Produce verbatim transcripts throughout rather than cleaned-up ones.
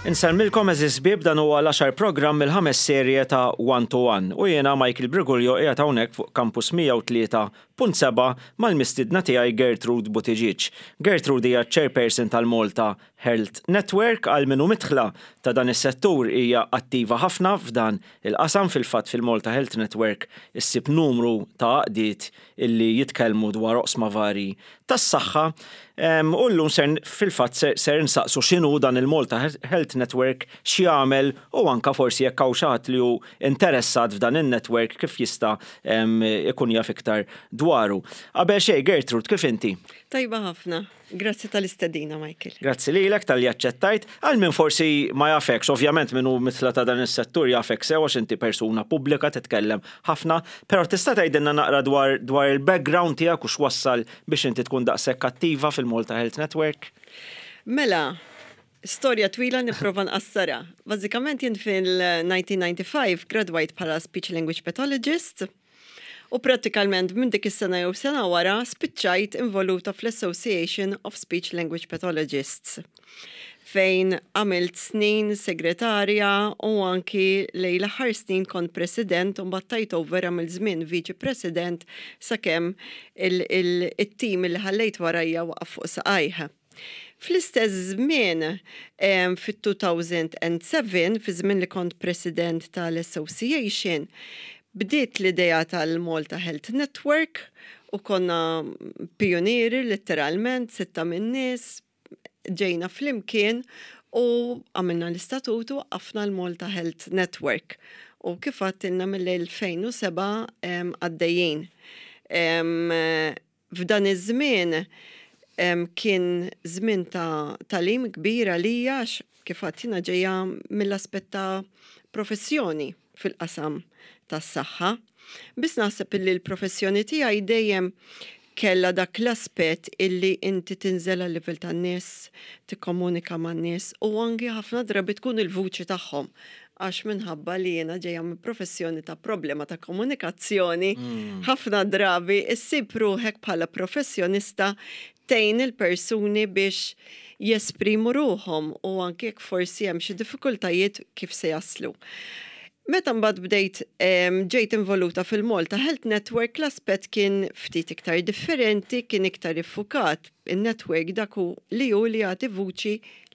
Insellmilkom, għeżież ħbieb. Dan huwa l-għaxar programm mill-ħames serje ta' One to One u jiena Michael Briguglio qiegħed hawnhekk fuq Campus mija u tlieta punt sebgħa mal-mistidna tiegħi Gertrude Buttigieg. Gertrude hija chairperson tal-Malta Health Network. Għal min hu midħla ta' dan is-settur, hija attiva ħafna f'dan il-qasam. Fil-fatt, fil-Malta Health Network issib numru ta' għaqdiet illi jitkellmu dwar oqsma vari tas-saħħa. U llum ser fil-fatt ser, ser nsaqsu x'inhu dan il-Malta Health Network, x'jagħmel u anka forsi jekk hawn xi ħadd li hu interessat f'dan in-network, kif jista' ikun jaf iktar dwaru. Qabel xejn, Gertrude, kif inti? Tajba ħafna. Grazzi tal-istedina, Michael. Grazzi lilek talli aċċettajt. Għal min forsi ma jafekx, ovvjament min hu midħla ta' dan is-settur jafek sew għax inti persuna pubblika, titkellem ħafna, però tista' tgħidilna naqra dwar, dwar il-background tiegħek u x'wassal biex inti tkun daqshekk attiva fil-Malta Health Network? Mela, storja twila, nipprova nqassarha. Bażikament jien fil-elf disa' mija u disgħa u disgħin gradwajt bħala speech language pathologist u prattikalment minn dik is-sena jew sena wara spiċċajt involuta fl-Association of Speech Language Pathologists, fejn għamilt snin segretarja u anki lejn l-aħħar snin kont president u mbagħad over għamilt żmien viċi president sakemm il-tim li ħallejt warajja waqaf fuq saqajh. Fl-istess żmien, fit-elfejn u sebgħa, fi żmien li kont president tal-Association, bdiet l-idea tal-Malta Health Network u konna pionieri literalment, sitta minn nies, ġejna flimkien u għamilna l-istatutu, għafna l-Malta Health Network. U kif għedtilna, mill-elfejn u sebgħa għaddejjin. F'dan iż-żmien kien żmien ta' tagħlim kbir għalija, kif għedtilna, ġejja mill-aspett ta' professjoni fil-qasam tas-saħħa. Biss naħseb illi l-professjoni tiegħi dejjem kella dak l-aspett illi inti tinżel għal livell tan-nies, tikkomunika man-nies u anki ħafna drabi tkun il-vuċi tagħhom, għax minħabba li jiena ġejja minn professjoni ta' problema ta' komunikazzjoni, mm. ħafna drabi issib ruħek bħala professjonista tgħin il-persuni biex jesprimu ruħhom u anke jekk forsi hemm xi diffikultajiet kif se jaslu. Meta mbagħad bdejt ġejt involuta fil-Malta Health Network, l-aspett kien ftit iktar differenti, kien iktar iffukat. Il-network dak hu li hu li jagħti vuċi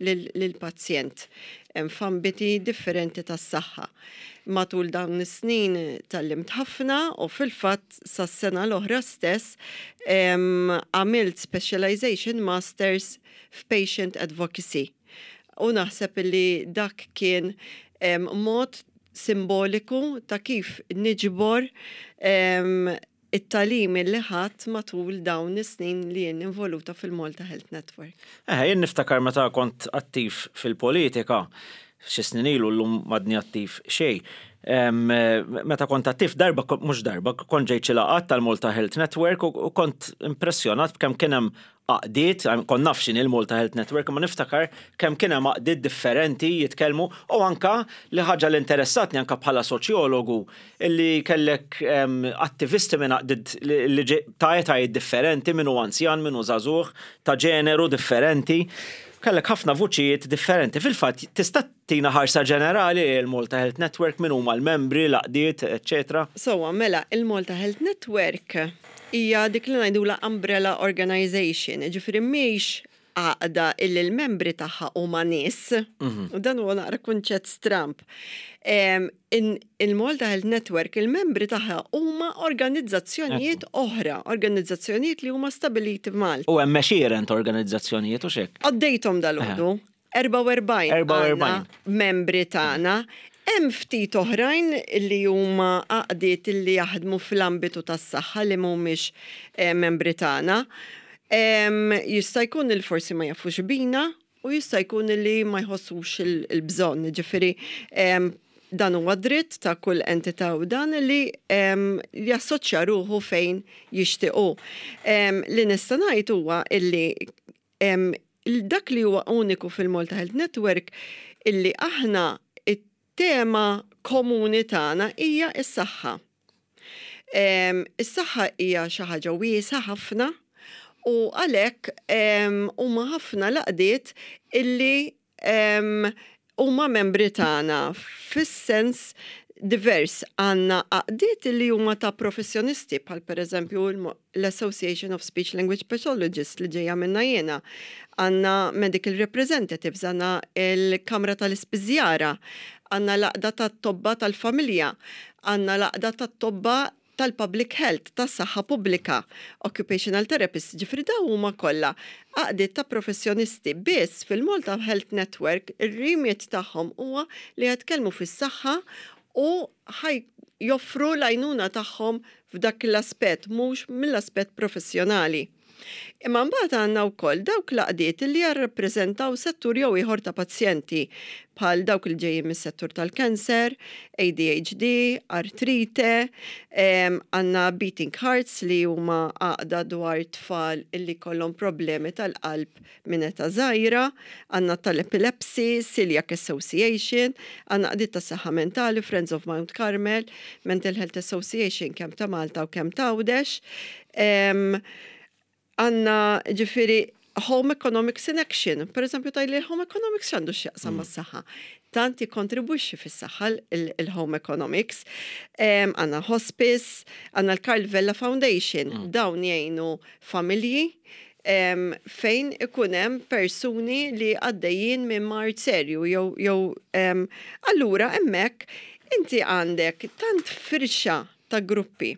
lill-pazjent f'ambiti differenti tas-saħħa. Matul dawn is-snin tgħallimt ħafna u fil-fatt sas-sena l-oħra stess għamilt specialization masters f'patient advocacy. U naħseb li dak kien mod simboliku ta' kif niġbor it-tagħlim li ħadt matul dawn is-snin li jien involuta fil-Malta Health Network. Eh, jien niftakar meta kont attiv fil-politika, xi snin ilu, llum m'għadni attiv xejn. Meta kont attiv darba, mhux darba, kont ġejt xi laqgħat tal-Malta Health Network u kont impressjonat b'kemm kien hemm għaqdiet. Kont naf x'inhi il-Malta Health Network, ma niftakar kemm kien hemm għaqdiet differenti jitkellmu u anka li ħaġa li interessatni anka bħala soċjologu illi kellek attivisti minn għaqdiet li ta' etajiet differenti, min hu anzjan, min hu żagħżugħ, ta' ġeneru differenti. Kellek ħafna vuċijiet differenti. Fil-fatt, tista' tina ħarsa ġenerali il-Malta Health Network, min huma l-membri, l-għaqdiet, eccetera? So, mela, il-Malta Health Network hija dik li ngħidula umbrella organization, ġifieri mhix għaqda illi l-membri tagħha huma nies. Mhm. U dan huwa naqra kunċett stramp. Il-Malta Health Network, il-membri tagħha huma organizzazzjonijiet oħra, organizzazzjonijiet li huma stabiliti f'Malta. U hemm għexieren ta' organizzazzjonijiet u xek. Għaddejthom dalgħodu. erbgħa u erbgħin erbgħa u erbgħin membri tagħna. Hemm ftit oħrajn li huma għaqdiet li jaħdmu fl-ambitu tas-saħħa li mhumiex eh, membri tagħna. Jista' jkun li forsi ma jafux bina u jista' jkun li ma jħossux il-bżonn. Ġifieri dan huwa dritt ta' kull entità u dan li jassoċja ruħu fejn jixtiequ. Li nista' ngħid huwa illi dak li huwa uniku fil-Malta Health Network illi aħna it-tema komuni tagħna hija s-saħħa. Is-saħħa hija xi ħaġa wiesgħa ħafna u għalhekk huma ħafna l-għaqdiet illi huma membri tagħna fis-sens divers. Għandna għaqdiet li huma ta' professjonisti, bħal per eżempju l-Association of Speech Language Pathologists li ġejja minna jiena. Għandna medical representatives, għandna il-Kamra tal-Ispiżjara, għandna l-Għaqda tat-Tobba tal-Familja, għandna l-Għaqda tat-Tobba tal-Public Health, tas-saħħa pubblika, occupational therapists, ġifieri dawn huma kollha għaqdiet ta' professjonisti. Biss fil-Malta Health Network ir-remit tagħhom huwa li jitkellmu fis-saħħa u ħaj joffru l-għajnuna tagħhom f'dak l-aspett, mhux mill-aspett professjonali. Imma mbagħad għandna wkoll dawk l-għaqdiet li jirrappreżentaw settur jew ieħor ta' pazjenti, bħal dawk li ġejjin mis-settur tal-kanser, A D H D, artrite, għandna Beating Hearts li huma għaqda dwar tfal illi kollhom problemi tal-qalb minn età żgħira, għandna tal-epilepsy, Celiac Association, għandna għaqdiet ta' saħħa mentali, Friends of Mount Carmel, Mental Health Association kemm ta' Malta u kemm ta' Għawdex. Għandna ġifieri Home Economics in Action. Per eżempju, tgħidli Home Economics x'għandu x'jaqsam mm. mas-saħħa? Tant jikkontribwixxi fis-saħħa il-Home Economics. Għandna Hospice, għandna l-Karl Vella Foundation, mm. dawn jgħinu familji fejn ikun hemm persuni li għaddejjin minn mard serju jew jew allura hemmhekk inti għandek tant firxa ta' gruppi.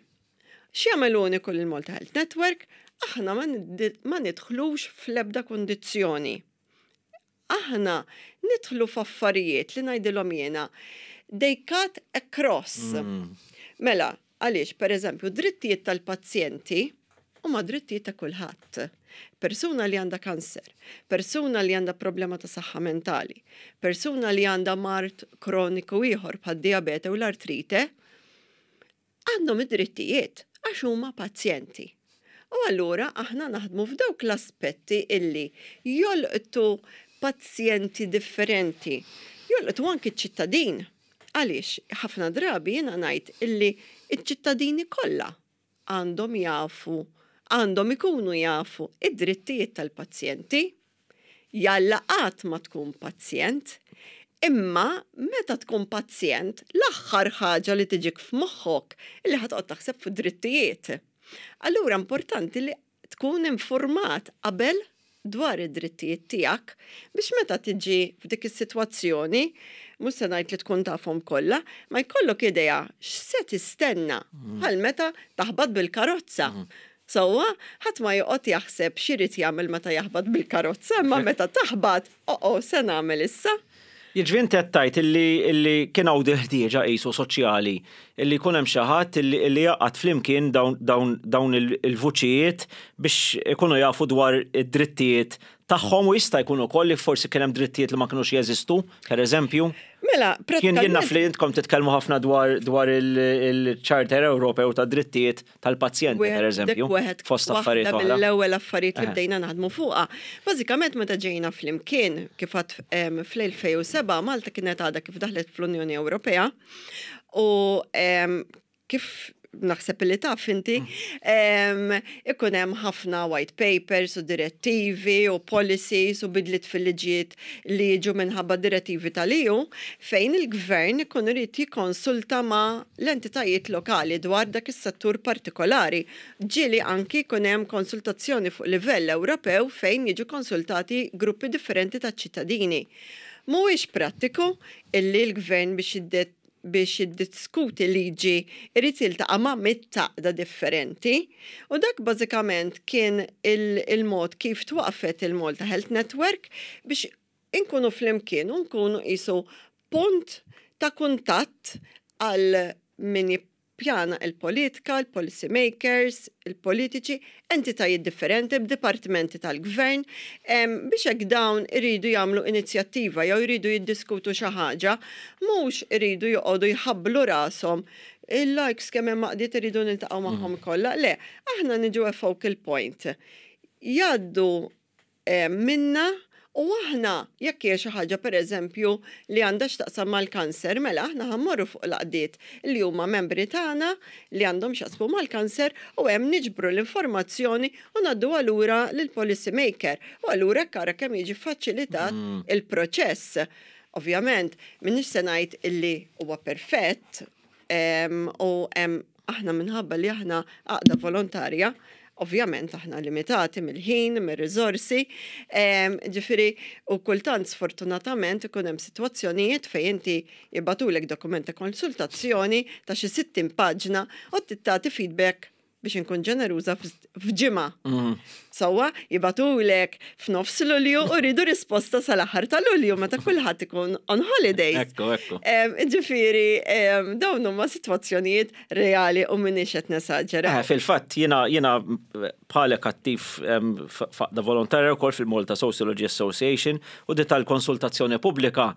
X'jagħmel uniku l-Malta Health Network? Aħna ma nidħlux fl-ebda kondizzjoni. Aħna nidħlu f'affarijiet li ngħidilhom jiena they cut across. Mm. Mela, għaliex, per eżempju, drittijiet tal-pazjenti huma drittijiet ta' kulħadd. Persuna li għandha kanser, persuna li għandha problema ta' saħħa mentali, persuna li għandha mard kroniku ieħor bħad diabete u l-artrite, għandhom id-drittijiet għax huma pazjenti. U allura aħna naħdmu f'dawk l-aspetti illi jolqtu pazjenti differenti, jolqtu anki ċ-ċittadin. Għaliex, ħafna drabi jiena ngħid illi iċ-ċittadini kollha għandhom jafu, għandhom ikunu jafu id-drittijiet tal-pazjenti. Jalla qatt ma tkun pazjent, imma meta tkun pazjent, l-aħħar ħaġa li tiġik f'moħħok illi ħa toqgħod taħseb fuq drittijiet. Allura importanti li tkun informat qabel dwar id-drittijiet tiegħek biex meta tiġi f'dik is-sitwazzjoni, mhux se ngħid li tkun tafhom kollha, ma jkollok idea x'se tistenna, bħal meta taħbat bil-karozza. Sewwa, ħadd ma joqgħod jaħseb x'irid jagħmel meta jaħbat bil-karozza, imma meta taħbat, "Oh, se nagħmel issa?" Jiġifieri inti qed tgħid illi illi kien hawn ħtieġa qisu soċjali illi jkun hemm xi ħadd illi illi jgħaqqad flimkien dawn dawn dawn il-vuċijiet biex ikunu jafu dwar id-drittijiet tagħhom, u jista' jkun ukoll li forsi kien hemm drittijiet li ma kinux jeżistu, per eżempju. Mela, Jien jien naf li intkom titkellmu ħafna dwar dwar il-Charter Ewropew ta' drittijiet tal-pazjenti, per eżempju, fost affarijiet oħra. Mill-ewwel affarijiet li bdejna naħdmu fuqha. Bażikament meta ġejna flimkien, kif għedt, fl-elfejn u sebgħa Malta kienet għadha kif daħlet fl-Unjoni Ewropea u kif naħseb li taf inti, ikun hemm ħafna white papers u direttivi u policies u bidliet fil-liġijiet li jiġu minħabba direttivi tal-E U fejn il-gvern ikun irid jikkonsulta ma' l-entitajiet lokali dwar dak is-settur partikolari. Ġieli anki jkun hemm konsultazzjoni fuq livell Ewropew fejn jiġu konsultati gruppi differenti ta' ċittadini. Mhuwiex prattiku illi l-gvern biex jiddet biex jiddiskuti liġi irid jiltaqa' ma' mitt għaqda differenti. U dak bażikament kien il-mod kif twaqfet il-Malta Health Network biex inkunu flimkien u nkunu qisu punt ta' kuntatt għal min jippjana il-politika, il-policy makers, il-politiċi, entitajiet differenti b'dipartimenti tal-gvern, biex hekk dawn iridu jagħmlu inizjattiva jew iridu jiddiskutu xi ħaġa, mhux iridu joqogħdu jħabblu rashom il-likes kemm hemm għaqdiet iridu niltaqgħu magħhom kollha. Le, aħna niġu a focal point. Jgħaddu minna u aħna jekk hija xi ħaġa, pereżempju, li għandha x'taqsam mal-kanser, mela aħna ħa mmorru fuq l-għaqdiet li huma membri tagħna li għandhom x'jaqsmu mal-kanser u hemm niġbru l-informazzjoni u ngħaddu lura lill-policy maker. U allura ara kemm jiġi faċilitat mm. il-proċess. Ovvjament, m'iniex se ngħid illi huwa perfett u aħna minħabba li aħna għaqda volontarja, ovvjament aħna limitati mill-ħin, mir-riżorsi, ġifieri u kultant sfortunatament ikun hemm sitwazzjonijiet fejn inti jibagħtulek dokument ta' konsultazzjoni ta' xi sittin paġna u tagħti feedback, biex inkun ġeneruża, f'ġimgħa. Mm. Sewwa, jibagħtulek f'nofs Lulju u rridu risposta sal-aħħar ta' Lulju meta kulħadd ikun on holidays. Ekku, ekku. Ġifieri, dawn huma sitwazzjonijiet reali u m'iniex qed nesaġera. Eh, fil-fatt jiena jiena bħalek attiv f'għaqda volontarja wkoll fil-Malta Sociology Association u di tal-konsultazzjoni pubblika,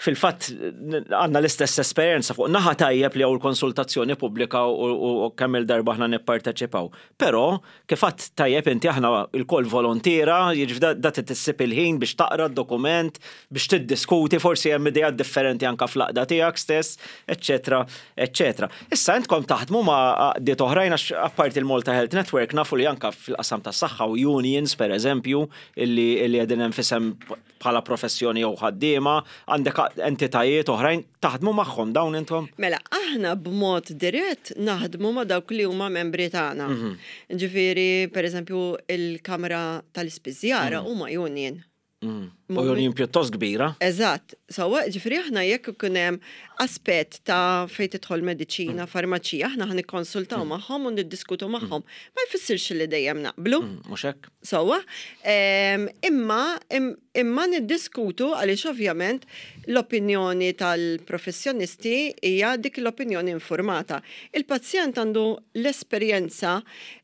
fil-fatt għandna l-istess esperjenza. Fuq naħa tajjeb li hawn l-konsultazzjoni pubblika u kemm il-darba aħna nipparteċipaw. Però kif għedt tajjeb inti, aħna lkoll volontiera, jiġifieri da tissib il-ħin biex taqra d-dokument, biex tiddiskuti, forsi hemm idejat differenti anka fl-għaqda tiegħek stess, eċċetera, eċċetera. Issa intkom taħdmu ma' għaqdiet oħrajn, għax apparti il-Malta Health Network nafu li anka fil-qasam tas-saħħa u unions, per eżempju, illi illi qegħdin hemm f'isem bħala professjoni jew ħaddiema, għandek entitajiet oħrajn, taħdmu magħhom dawn intom? Mela, aħna b'mod dirett naħdmu ma' dawk li huma membri tagħna. Mhm. Ġifieri, per eżempju, il-Kamra tal-Ispiżjara mhm. huma union. Mm. U union pjuttost kbira. Eżatt. Sewwa, ġifieri aħna jekk ikun hemm aspett ta' fejn tidħol mediċina, mm. farmaċija, aħna ħa nikkonsultaw mm. magħhom u niddiskutu magħhom. Ma jfissirx li dejjem naqblu. Mhux hekk? Sewwa, imma imma niddiskutu għaliex ovvjament l-opinjoni tal-professjonisti hija dik l-opinjoni informata. Il-pazjent għandu l-esperjenza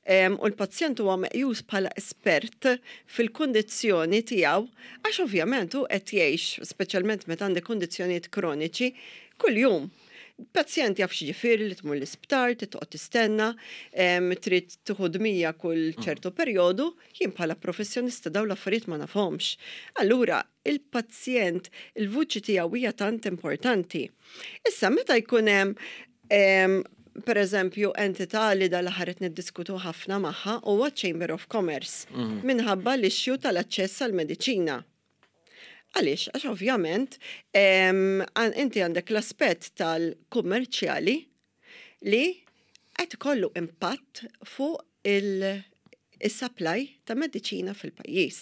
u l-pazjent huwa meqjus bħala espert fil-kundizzjoni tiegħu, għax ovvjament hu qed jgħix, speċjalment meta għandek kundizzjonijiet kroniċi, kuljum. Pazjent jaf x'jiġifieri li tmur l-isptar, titqgħod tistenna, trid tieħu dmija kull ċertu perjodu, jien bħala professjonista dawn l-affarijiet ma nafhomx. Allura, il-pazjent, il-vuċi tiegħu hija tant importanti. Issa meta jkun hemm, per eżempju, entità li dal-aħħar qed niddiskutu ħafna magħha huwa Chamber of Commerce mhm. minħabba l-issue tal-aċċess għall-mediċina. Għaliex? Għax ovvjament inti għandek l-aspett tal-kummerċjali li qed ikollu impatt fuq il-supply ta' mediċina fil-pajjiż.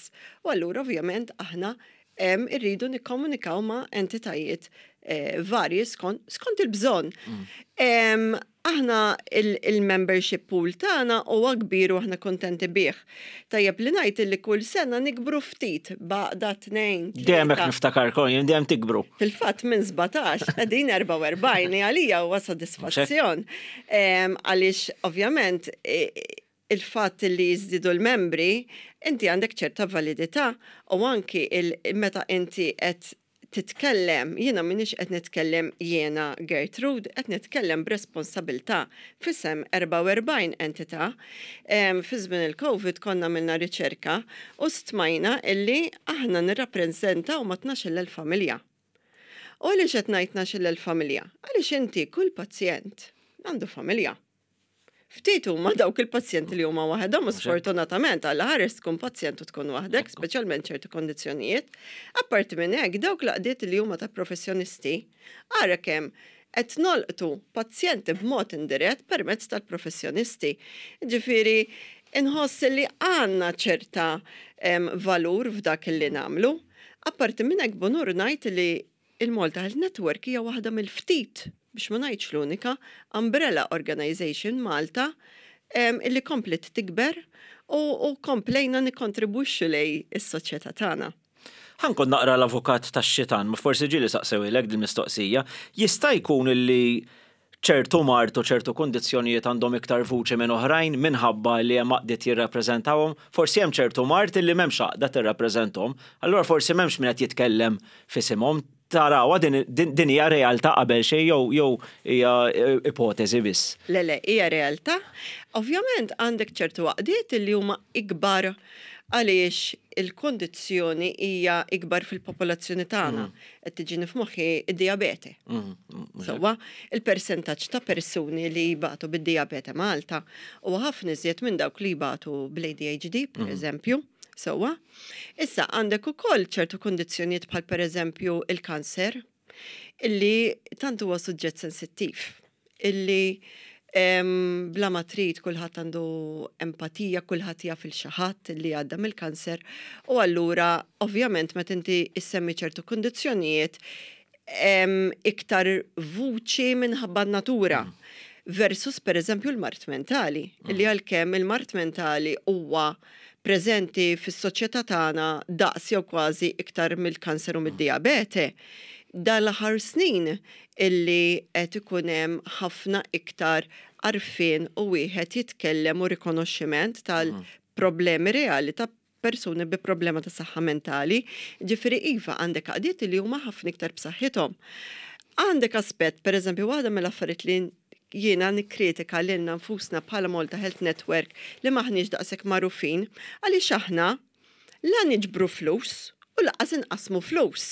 U allura ovvjament aħna irridu nikkomunikaw ma' entitajiet eh, varji skont il-bżonn. Mm. Aħna il-membership pool tagħna huwa kbir u aħna kontenti bih. Tajjeb li ngħid li kull sena nikbru ftit b'għaqda, tnejn. Dejjem hekk niftakarkom, jien, dejjem tikbru. Fil-fatt minn sbatax qegħdin erbgħa u erbgħin, li għalija huwa sodisfazzjon. Għaliex ovvjament il-fatt li jiżdiedu l-membri, inti għandek ċerta validità u anki meta inti qed titkellem, jiena m'iniex qed nitkellem jiena Gertrude, qed nitkellem b'responsabilità f'isem erbgħa u erbgħin entità. Fi żmien il-Covid konna għamilna riċerka u stmajna illi aħna nirrappreżentaw ma' tnax-il elf familja. U għaliex qed ngħid tnax-il elf familja? Għaliex inti kull pazjent għandu familja. Ftit huma dawk il-pazjenti li huma waħedhom u sfortunatament għal ħares tkun pazjent u tkun waħdek, speċjalment ċertu kondizzjonijiet. Apparti minn hekk, dawk l-għaqdiet li huma ta' professjonisti, ara kemm qed nolqtu pazjenti b'mod indirett permezz tal-professjonisti. Ġifieri, inħoss li għandna ċerta valur f'dak li nagħmlu. Apparti minn hekk, b'unur ngħid li il-Malta Health Network hija waħda mill-ftit, biex ma ngħidx l-unika, umbrella organization Malta illi komplet tikber u, u komplejna nikkontribwixxu lejn is-soċjetà tagħna. Ħa nkun naqra l-avukat tax-xitan, ma forsi ġieli saqsewhielek dil-mistoqsija, jista' jkun illi ċertu mard u ċertu kundizzjonijiet għandhom iktar vuċi minn oħrajn minħabba li hemm għaqdiet jirrappreżentawhom? Forsi hemm ċertu mard illi m'hemmx għaqda tirrappreżentahom, allura forsi m'hemmx min qed jitkellem f'isimhom. Tarawha din din hija realtà qabel xejn jew jew hija ipoteżi biss? Le, le, hija realtà. Ovvjament għandek ċertu għaqdiet li huma ikbar għaliex il-kondizzjoni hija ikbar fil-popolazzjoni tagħna. Mm. Qed tiġini f'moħħi id-dijabete. Mm, Sewwa, il-persentaġġ ta' persuni li jbatu bid-dijabete Malta huwa ħafna iżjed minn dawk li jbatu bl-A D H D, per mm. eżempju. Sewwa? Issa għandek ukoll ċertu kundizzjonijiet bħal pereżempju il-kanser, illi tant huwa suġġett sensittiv, illi bla ma trid kulħadd għandu empatija, kulħadd jaf il xi ħadd li għadda mill-kanser u allura ovvjament meta inti issemmi ċertu kundizzjonijiet iktar vuċi minħabba natura. Mm. Versus per eżempju l-mard mentali, mm. li għalkemm il-mard mentali huwa preżenti fis-soċjetà tagħna daqs jew kważi iktar mill-kanser u mid-dijabete. Dan l-aħħar snin illi qed ikun hemm ħafna iktar għarfien u wieħed jitkellem u rikonoxximent tal-problemi reali ta' persuni bi problema ta' saħħa mentali. Ġifieri iva, għandek għaqdiet li huma ħafna iktar b'saħħithom. Għandek aspett, per eżempju, waħda mill-affarijiet li jiena nikkritika lilna nfusna bħala Malta Health Network li maħniex daqshekk magħrufin, għaliex aħna la niġbru flus u lanqas inqasmu flus.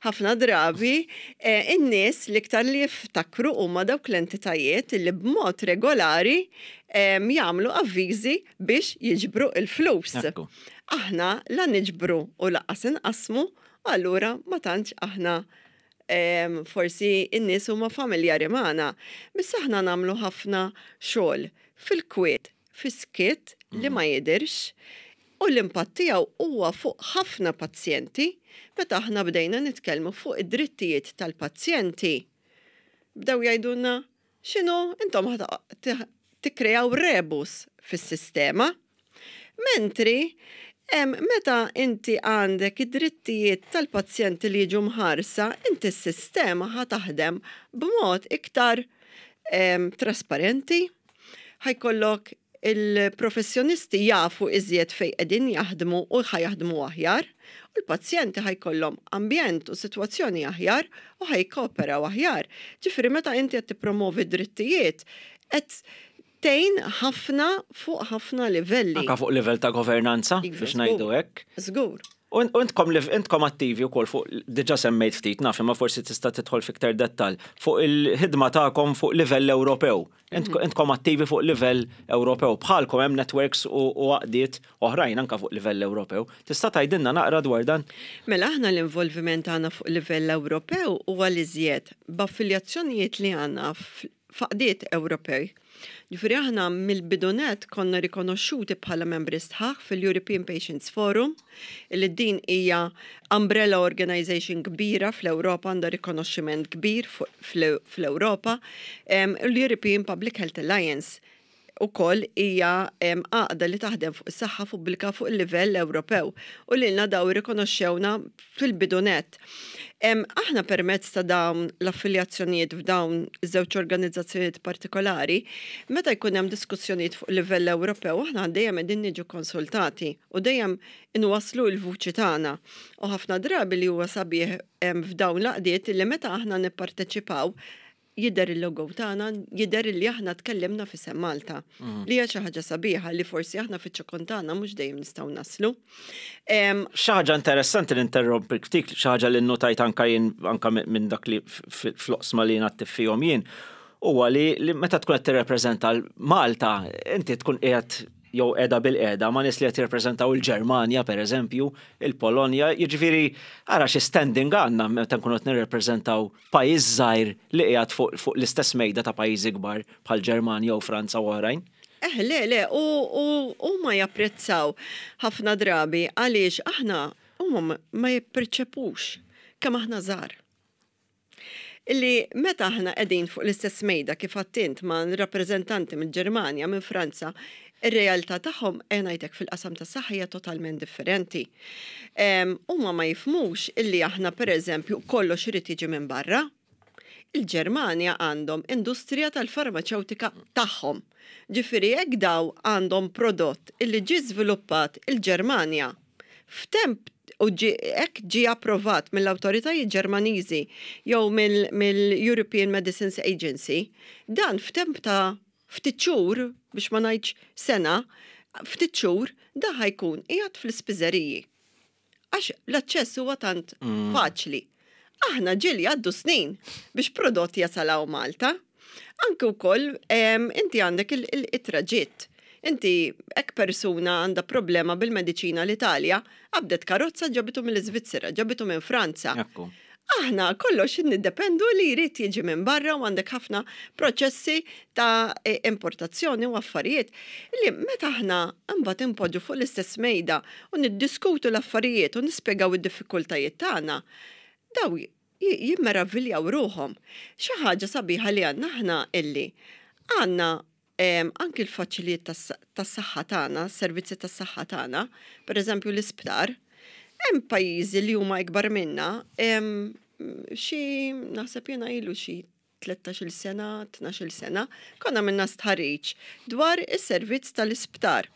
Ħafna drabi eh, in-nies l-iktar li jiftakru huma dawk l-entitajiet li b'mod regolari jagħmlu avviżi biex jiġbru il-flus. Aħna la niġbru u lanqas inqasmu, allura ma tantx aħna forsi in-nies huma familjari magħna. Biss aħna nagħmlu ħafna xogħol fil-kwiet, fis-skiet li ma jidirx u l-impatt tiegħu huwa fuq ħafna pazjenti. Meta aħna bdejna nitkellmu fuq id-drittijiet tal-pazjenti, bdew jgħidulna, "X'inhu, intom tikkrejaw rebus fis-sistema?" Mentri meta inti għandek id-drittijiet tal-pazjenti li jiġu mħarsa, inti s-sistema ħa taħdem b'mod iktar trasparenti, ħa jkollok il-professjonisti jafu iżjed fej qegħdin jaħdmu u ħa jaħdmu aħjar, u l-pazjenti ħa jkollhom ambjent u sitwazzjoni aħjar u ħa jikkooperaw aħjar. Ġifieri meta inti qed tippromovi drittijiet, qed tgħin ħafna fuq ħafna livelli. Anka fuq livell ta' governanza, biex ngħidu hekk. Żgur. U intkom intkom attivi wkoll fuq, diġà semmejt ftit, naf, imma forsi tista' tidħol fiktar dettal fuq il-ħidma tagħkom fuq livell Ewropew. Mhm. Intkom attivi fuq livell Ewropew. Bħalkom hemm networks u għaqdiet oħrajn anka fuq livell Ewropew. Tista' tgħidilna naqra dwar dan? Mela aħna l-involviment tagħna fuq livell Ewropew huwa l-iżjed b'affiljazzjonijiet li għandna f'għaqdiet Ewropej. Ġifieri aħna mill-bidu nett konna rikonoxxuti bħala membri sħaħ fil-European Patients Forum, li din hija umbrella organization kbira fl-Ewropa, għandha rikonoxximent kbir fl-Ewropa, l-European Public Health Alliance ukoll hija għaqda li taħdem fuq is-saħħa pubblika fuq il-livell Ewropew u lilna daw irrikonoxxewna fil-bidu nett. Aħna permezz ta' dawn l-affiljazzjonijiet f'dawn iż-żewġ organizzazzjonijiet partikolari, meta jkun hemm diskussjonijiet fuq livell Ewropew, aħna dejjem qegħdin niġu konsultati u dejjem inwasslu l-vuċi tagħna. U ħafna drabi li huwa sabiħ f'dawn l-għaqdiet li meta aħna nipparteċipaw jidher il-logo tagħna, jidher li aħna tkellimna f'isem Malta. Mm. Li hija xi ħaġa sabiħa li forsi aħna fiċ-ċokon tagħna mhux dejjem nistgħu naslu. Xi ħaġa interessanti li interrompi ftit, xi ħaġa li nnotajt anka jien anka minn dak li fl-oqsma li jien fihom jien, huwa li meta tkun qed tirrepreżenta Malta, inti tkun qiegħed jew qiegħda bilqiegħda ma' nies li qed jirrappreżentaw il-Ġermanja, pereżempju, il-Polonja, jiġifieri ara xi standing għandna meta nkunu qed nirrappreżentaw pajjiż żgħir li qiegħed fuq, fuq l-istess mejda ta' pajjiżi kbar bħal Ġermanja u Franza u oħrajn. Eh, le, le, u, u, ma japprezzaw ħafna drabi għaliex aħna huma ma jipperċepux kemm aħna żgħar illi meta aħna qegħdin fuq l-istess mejda kif għedt int ma' rappreżentanti mill-Ġermanja, minn Franza, ir-realtà tagħhom ngħidlek fil-qasam tas-saħħa hija totalment differenti. Huma ma jifhmux illi aħna, pereżempju, kollox irid jiġi minn barra. Il-Ġermanja għandhom industrija tal-farmaċewtika tagħhom. Ġifieri jekk daw għandhom prodott illi ġie żviluppat il-Ġermanja f'temp u hekk ġie approvat mill-awtoritajiet Ġermaniżi jew mill-European Medicines Agency, dan f'temp ta' ftit xhur, biex ma ngħidx sena, ftit xhur da ħa jkun qiegħed fl-ispiżeriji. Għax l-aċċess huwa tant mm. faċli. Aħna ġieli għaddu snin biex prodott jasal hawn Malta. Anke wkoll inti għandek il-traġitt. Inti hekk persuna għandha problema bil-mediċina l-Italja, qabdet karozza, ġabitu mill-Iżvizzera, ġabitu minn Franza. Ekku. Aħna kollox niddependu li jrid jiġi minn barra u għandek ħafna proċessi ta' e, importazzjoni u affarijiet li meta aħna mbagħad impoġġu fuq l-istess mejda u niddiskutu l-affarijiet u nispjegaw id-diffikultajiet tagħna, daw j- jimmeraviljaw ruħhom. Xi ħaġa sabiħa li għandna aħna illi għandna em, anki l-faċilijiet tas-saħħa tagħna, servizzi tas-saħħa tagħna, pereżempju l-isptar, hemm pajjiżi li huma ikbar minna, em, xi naħseb jiena ilu xi tlettax-il sena, tnax-il sena, konna minna stħarriġ dwar is-servizz tal-isptar.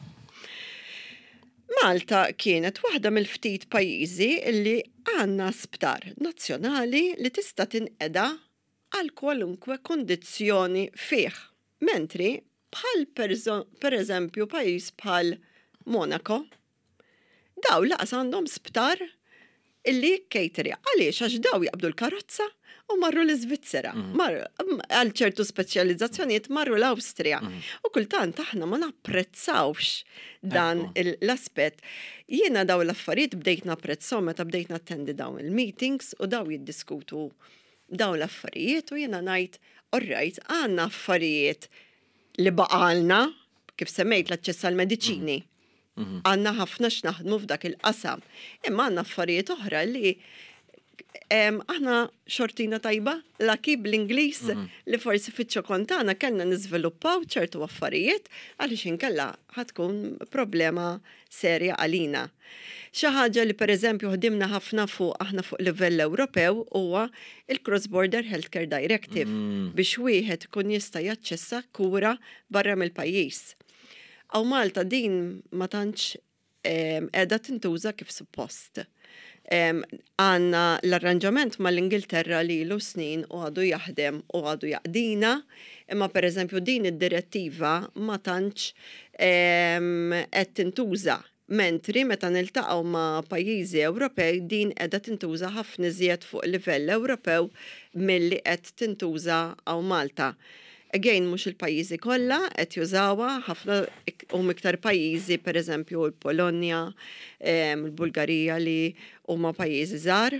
Malta kienet waħda mill-ftit pajjiżi li għandna sptar nazzjonali li tista' tinqeda għal kwalunkwe kondizzjoni fih. Mentri bħal per eżempju pajjiż bħal Monaco, daw laqas għandhom sptar illi cateri. Għaliex? Għax daw jaqbdu l-karozza u marru l-Iżvizzera. Mhm. Għal ċertu speċjalizzazzjonijiet marru l-Awstrija. Mhm. U kultant aħna ma napprezzawx dan l-aspett. Jiena daw l-affarijiet bdejt napprezzhom meta bdejt nattendi dawn il-meetings u daw jiddiskutu daw l-affarijiet u jiena ngħid, alright, għandna affarijiet li baqalna, kif semmejt l-aċċess għal mediċini. Mhm. Għandna ħafna x'naħdmu f'dak il-qasam. Imma għandna affarijiet oħra li aħna xortina tajba, lucky bl-Ingliż, mhm. li forsi fiċ-ċokon tagħna kellna niżviluppaw ċertu affarijiet għaliex inkella ħa tkun problema serja għalina. Xi ħaġa li pereżempju ħdimna ħafna fuq aħna fuq livell Ewropew huwa il-Cross Border Healthcare Directive mm. biex wieħed ikun jista' jaċċessa kura barra mill-pajjiż. Hawn Malta din ma tantx qiegħda tintuża kif suppost. Għandna l-arranġament mal-Ingilterra li ilu snin u għadu jaħdem u għadu jaqdina, imma per eżempju din id-direttiva ma tantx qed tintuża. Mentri meta niltaqgħu ma' pajjiżi Ewropej, din qiegħda tintuża ħafna iżjed fuq livell Ewropew milli qed tintuża hawn Malta. Again, mhux il-pajjiżi kollha qed jużawha, ħafna huma iktar pajjiżi, pereżempju l-Polonja, il-Bulgarija li huma pajjiżi żgħar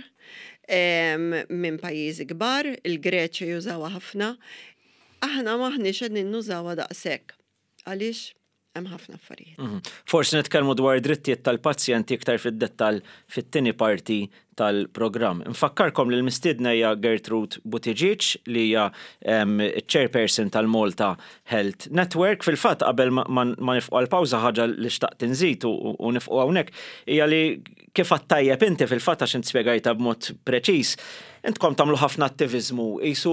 minn pajjiżi kbar, il-Greċja jużawha ħafna. Aħna maħniex qegħdin nużawha daqshekk. Għaliex? Hemm ħafna affarijiet. Mhm. Forsi nitkellmu dwar drittijiet tal-pazjenti iktar fid-dettall fit-tieni parti tal-programm. Nfakkarkom li l-mistiedna hija Gertrude Buttigieg, li hija chairperson tal-Malta Health Network. Fil-fatt, qabel ma nieqfu għal-pawża, ħaġa li xtaqt inżid u nieqfu hawnhekk hija li kif tajjeb inti fil-fatt, għax int spjegajta b'mod preċiż, intkom tagħmlu ħafna attiviżmu, jisu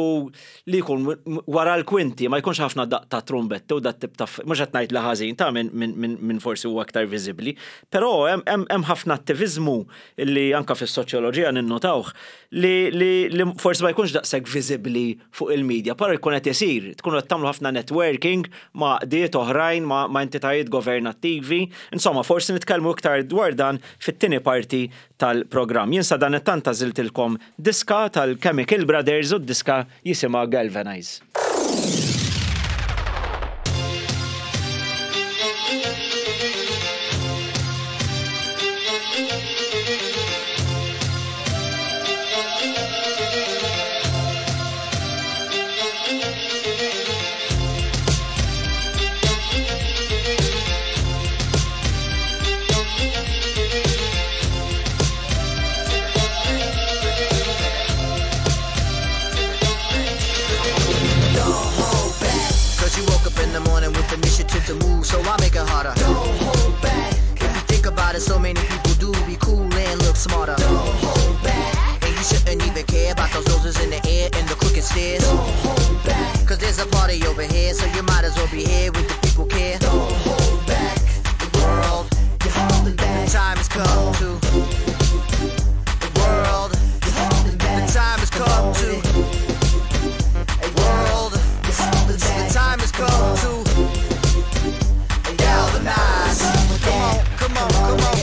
li jkun wara l-kwinti, ma jkunx ħafna daq ta' trumbetti u dat tip ta', mhux qed ngħid li ħażin ta' minn min forsi huwa aktar viżibbli, però hemm ħafna attiviżmu li anka fis-soċjoloġija ninnotawh li, li, li forsi ma jkunx daqshekk viżibbli fuq il-medja, però jkun qed isir, tkunu qed tagħmlu ħafna networking ma' għaqdiet oħrajn, ma', ma entitajiet governattivi, insomma forsi nitkellmu iktar dwar dan fit-tieni parti tal-programm. Jien sa dan it-tant għażiltilkom diska tal-Chemical Brothers u d-diska jisimha Galvanize. Cause you woke up in the morning with initiative to move, so I make it harder. Don't hold back. If you think about it, so many people do be cool and look smarter. Don't hold back. And you shouldn't even care about those noses in the air and the crooked stairs. Don't hold back. Cause there's a party over here, so you might as well be here with the people care. Don't hold back. The world, you're holding back. The time has come to. The world, you're holding back. The time has come to. A world, the time has come to galvanize. Come on, come on, come on.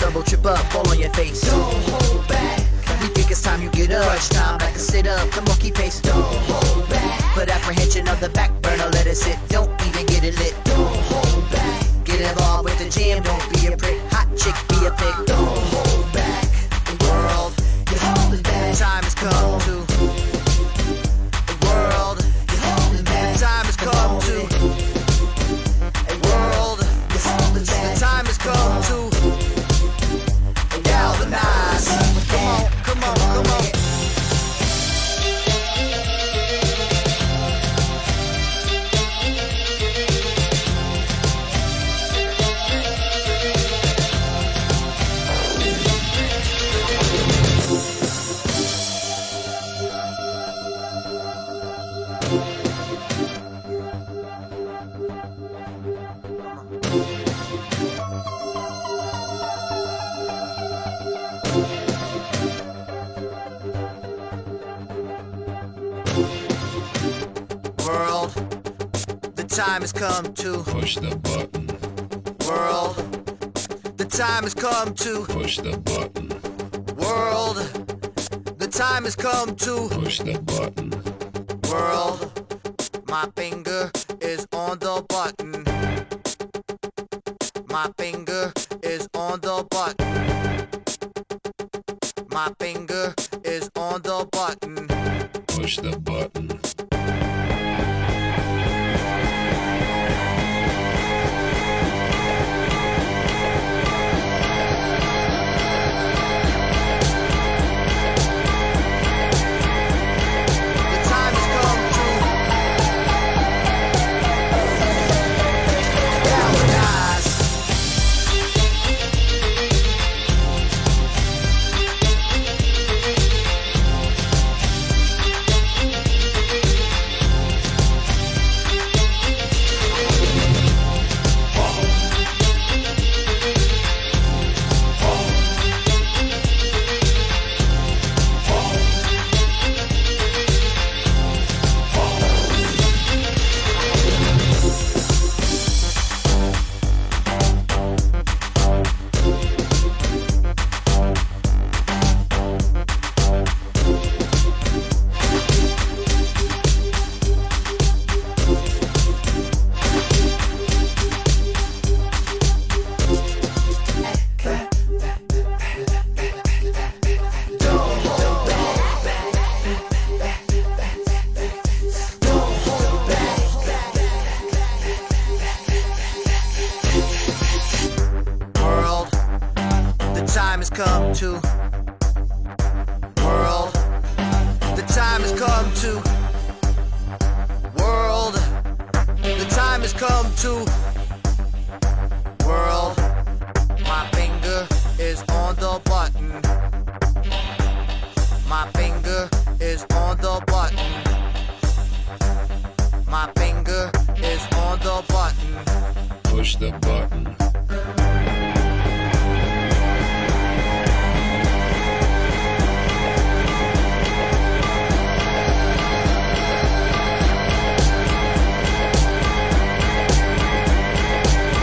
Stumble, trip up, fall on your face. Don't hold back. We think it's time you get up. Crunch time, back to sit up. Come on, keep pace. Don't hold back. Put apprehension on the back burner, let it sit. Don't even get it lit. Don't hold back. Get involved with the jam. Don't be a prick. Hot chick, be a pick. Don't hold back. The world, you're holding back. The time has come to. The world, you're holding back. The time has come to. A world, you're holding back. The time has come to galvanize. Come on, come on, come on. World, the time has come to Push the button. World, the time has come to Push the button. World, the time has come to Push the button. World, my finger is on the button. My finger is on the button. My finger is on the button. Push the button. The time has come to galvanize. World, the time has come to. World, the time has come to. World, the time has come to. World, my finger is on the button. My finger is on the button. My finger is on the button. Push the button.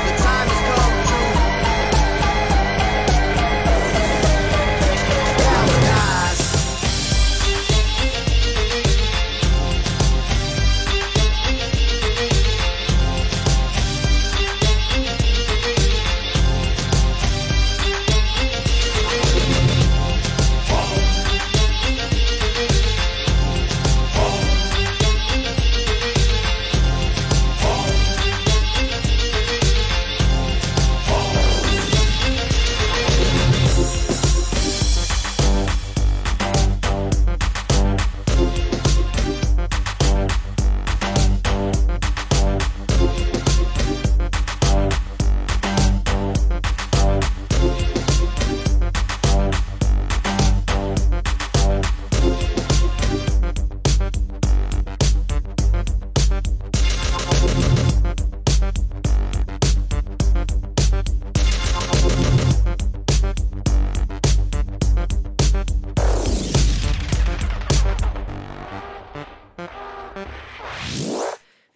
The time has come to galvanize.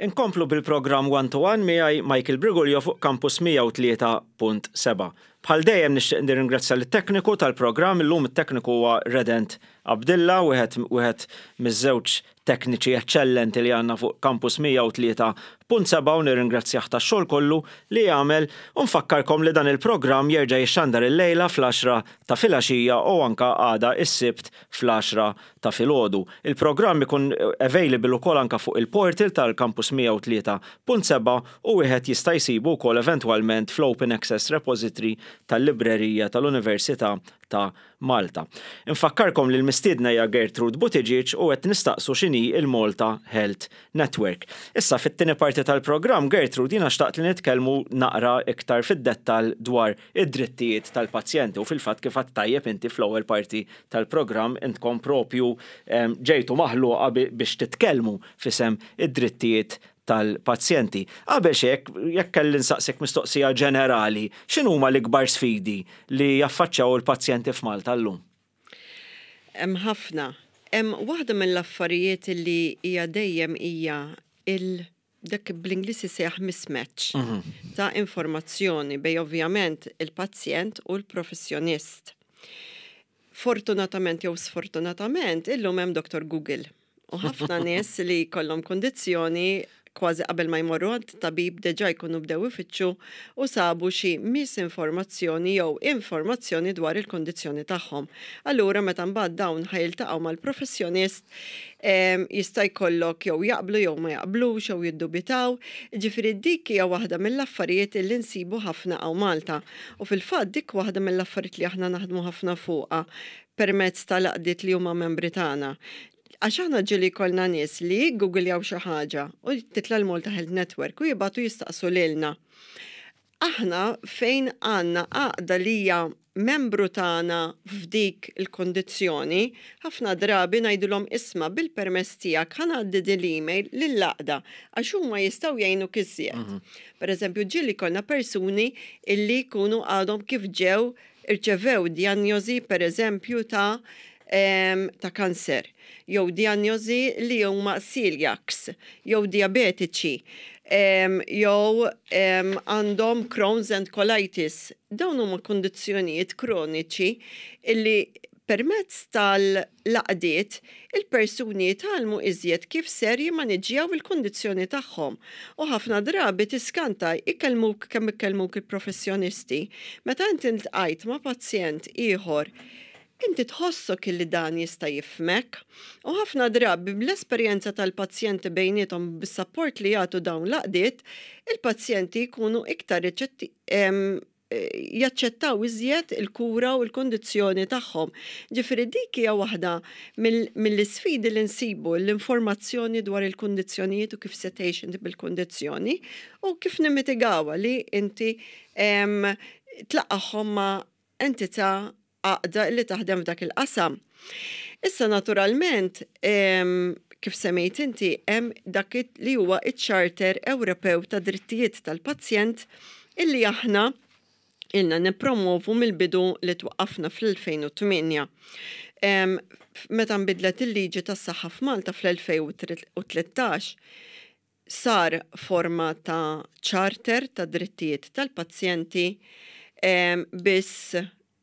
Inkomplu bil-programm One to One miegħi Michael Briguglio fuq Campus mija u tlieta punt seba'. Bħal dejjem nixtieq nirringrazzja lit-tekniku tal-programm, illum it-tekniku huwa Redent Abdilla, wieħed wieħed miż-żewġ tekniċi eċċellenti li għandna fuq Campus mija u tlieta punt sebgħa u nirringrazzjah tax-xogħol kollu li jagħmel u nfakkarkom li dan il-programm jerġa' jixxandar illejla fl-għaxra ta' filgħaxija u anka għada is-Sibt fl-għaxra ta' filgħodu. Il-programm ikun available ukoll anka fuq il-portal tal-Campus mija u tlieta punt sebgħa u wieħed jista' jsibu wkoll eventwalment fl-Open Access Repository tal-Librerija tal-Università ta' Malta. Infakkarkom li l-mistiedna hija Gertrude Buttigieg u qed nistaqsu x'inhi il-Malta Health Network. Issa fit-tieni parti tal-programm, Gertrude, jiena xtaqt li nitkellmu naqra iktar fid-dettall dwar id-drittijiet tal-pazjenti u fil-fatt kif għedt tajjeb inti fl-ewwel parti tal-programm intkom propju ġejtu maħluqa biex titkellmu f'isem id-drittijiet tal-pazjenti. Qabel xek, jekk kelli nsaqsek mistoqsija ġenerali, x'inhuma l-ikbar sfidi li jaffaċċjaw il-pazjenti f'Malta llum? Hemm ħafna. Hemm waħda mill-affarijiet li hija dejjem hija il dak bl-Ingliż isejjaħ mismatch mhm. ta' informazzjoni bejn ovvjament il-pazjent u l-professjonist. Fortunatament jew sfortunatament, illum hemm Doctor Google. U ħafna nies li kollhom kondizzjoni, kważi qabel ma jmorru għand tabib deġa jkunu bdew ifittxu u sabu xi misinformazzjoni jew informazzjoni dwar il-kondizzjoni tagħhom. Allura meta mbagħad dawn ħa jiltaqgħu mal-professjonist, jista' jkollok jew jaqblu jew ma jaqblux jew jiddubitaw. Ġifieri dik hija waħda mill-affarijiet li nsibu ħafna hawn Malta. U fil-fatt dik waħda mill-affarijiet li aħna naħdmu ħafna fuqha permezz tal-għaqdiet li huma membri tagħna. Għax aħna ġieli kollna nies li jiggoogiljaw xi ħaġa u titla' l-Malta Health Network u jibagħtu jistaqsu lilna. Aħna fejn għandna għaqda li hija membru tagħna f'dik il-kondizzjoni, ħafna drabi ngħidulhom, "Isma', bil-permess tiegħek ħa ngħaddi din l-email lill-għaqda għax huma jistgħu jgħinu iżjed." Mhm. Per eżempju, ġieli kollna persuni illi jkunu għadhom kif ġew irċevew diagnosi, per eżempju, ta' ta' kanser, jew diagnosi li huma celiacs, jew diabetiċi, jew għandhom Crohn's and colitis. Dawn huma kondizzjonijiet kroniċi illi permezz tal-għaqdiet il-persuni jitgħallmu iżjed kif ser jimmaniġġjaw il-kondizzjoni tagħhom. U ħafna drabi tiskanta ikellmuk kemm ikellmuk il-professjonisti. Meta inti ltqajt ma' pazjent ieħor, inti tħossok illi dan jista' jifhmek. U ħafna drabi bl-esperjenza tal-pazjenti bejniethom, bis-support li jagħtu dawn l-għaqdiet, il-pazjenti jkunu iktar jaċċettaw iżjed il-kura u l-kondizzjoni tagħhom. Ġifieri dik hija waħda mill-isfidi li nsibu, l-informazzjoni dwar il-kundizzjonijiet u kif se tgħix inti bil-kundizzjoni u kif nimmitigawha li inti tlaqqagħhom ma' entità, għaqda li taħdem f'dak il-qasam. Issa naturalment, kif semmejt inti, hemm dak li huwa iċ-Charter Ewropew ta' Drittijiet tal-Pazjent illi aħna ilna nipromovu mill-bidu li twaqqafna fl-elfejn u tmienja. Meta nbidlet il-liġi tas-saħħa f'Malta fl-elfejn u tlettax, sar forma ta' charter ta' drittijiet tal-pazjenti, biss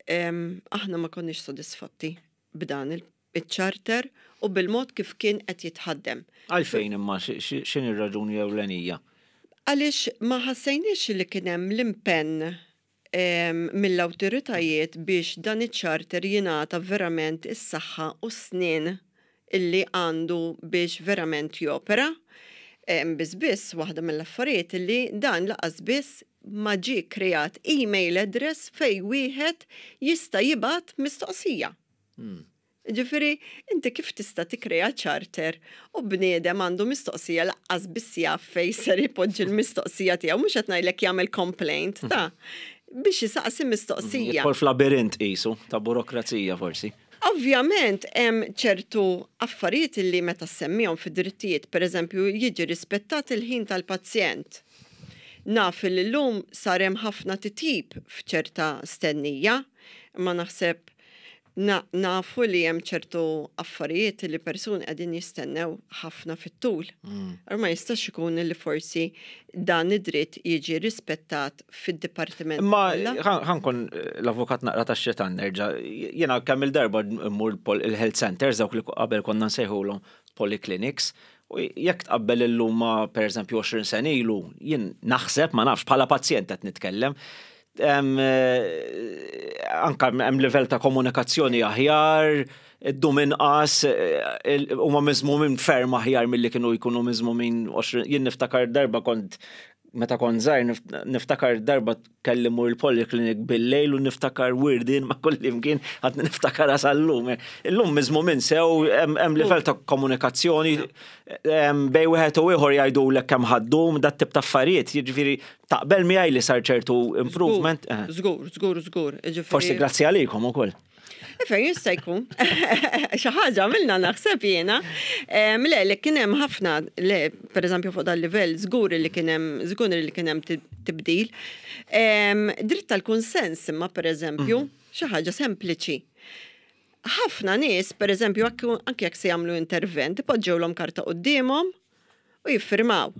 aħna ma konniex sodisfatti b'dan il-charter u bil-mod kif kien qed jitħaddem. Għalfejn imma, x'inhi r-raġuni ewlenija? Għaliex ma ħassejniex li kien hemm l-impenn mill-awtoritajiet biex dan iċ-charter jingħata verament is-saħħa u snin illi għandu biex verament jopera. Biss biss waħda mill-affarijiet illi dan lanqas biss ma ġie kreat email address fejn wieħed jista' jibgħat mistoqsija. Hmm. Ġifieri, inti kif tista' tikkrea charter u bniedem għandu mistoqsija lanqas biss jaf fejn ser ipoġġi l-mistoqsija tiegħu, mhux qed ngħidlek jagħmel complaint ta' biex jisaqsi mistoqsija. Jidħol f'labirint qisu ta' burokrazija forsi. Ovvjament hemm ċertu affarijiet li meta semmihom fid-drittijiet, pereżempju jiġi rispettat il-ħin tal-pazjent. Naf li llum sar hemm ħafna titjib f'ċerta stennija, imma naħseb Na, nafu li hemm ċertu affarijiet li persuni qegħdin jistennew ħafna fit-tul. Mm. Ma jistax ikun li forsi dan id-dritt jiġi rispettat fid-dipartiment. Ma kollha. ħa nkun l-avukat naqra ta' xitan nerġa'. Jiena kemm il-darba mmur il-health centers, dawk li qabel konna nsejħulhom polyclinics, u jekk tqabbel illum ma' per eżempju għoxrin sena ilu, jien naħseb, ma nafx, bħala pazjent qed nitkellem, em, eh, anka hemm livell ta' komunikazzjoni aħjar, iddum inqas, eh, huma miżmumin ferm aħjar milli kienu jkunu miżmumin għoxrin. Jien niftakar darba kont, meta kont żgħir, nif- niftakar darba kelli mmur il-polyclinic bil-lejl u niftakar wirdin ma' kull imkien, għad niftakar sal-lum. Illum miżmumin sew, hemm hemm livell ta' komunikazzjoni em, bejn wieħed u ieħor, jgħidulek kemm ħa ddum, dat tip ta' affarijiet, jiġifieri taqbel miegħi li sar ċertu improvement. Eh. Żgur, żgur, żgur. Jiġifieri- Forsi grazzi għalikom ukoll. Fejn jista' jkun. Xi ħaġa għamilna naħseb jiena. Em, Le, li kien hemm ħafna, le, pereżempju fuq dal-livell, żgur li kien hemm, żgur li kien hemm tib- tibdil. Em, Dritt tal-kunsens imma, pereżempju, xi ħaġa sempliċi. Ħafna nies, pereżempju, anke jekk se jagħmlu intervent, ipoġġewlhom karta quddiemhom u jiffirmaw.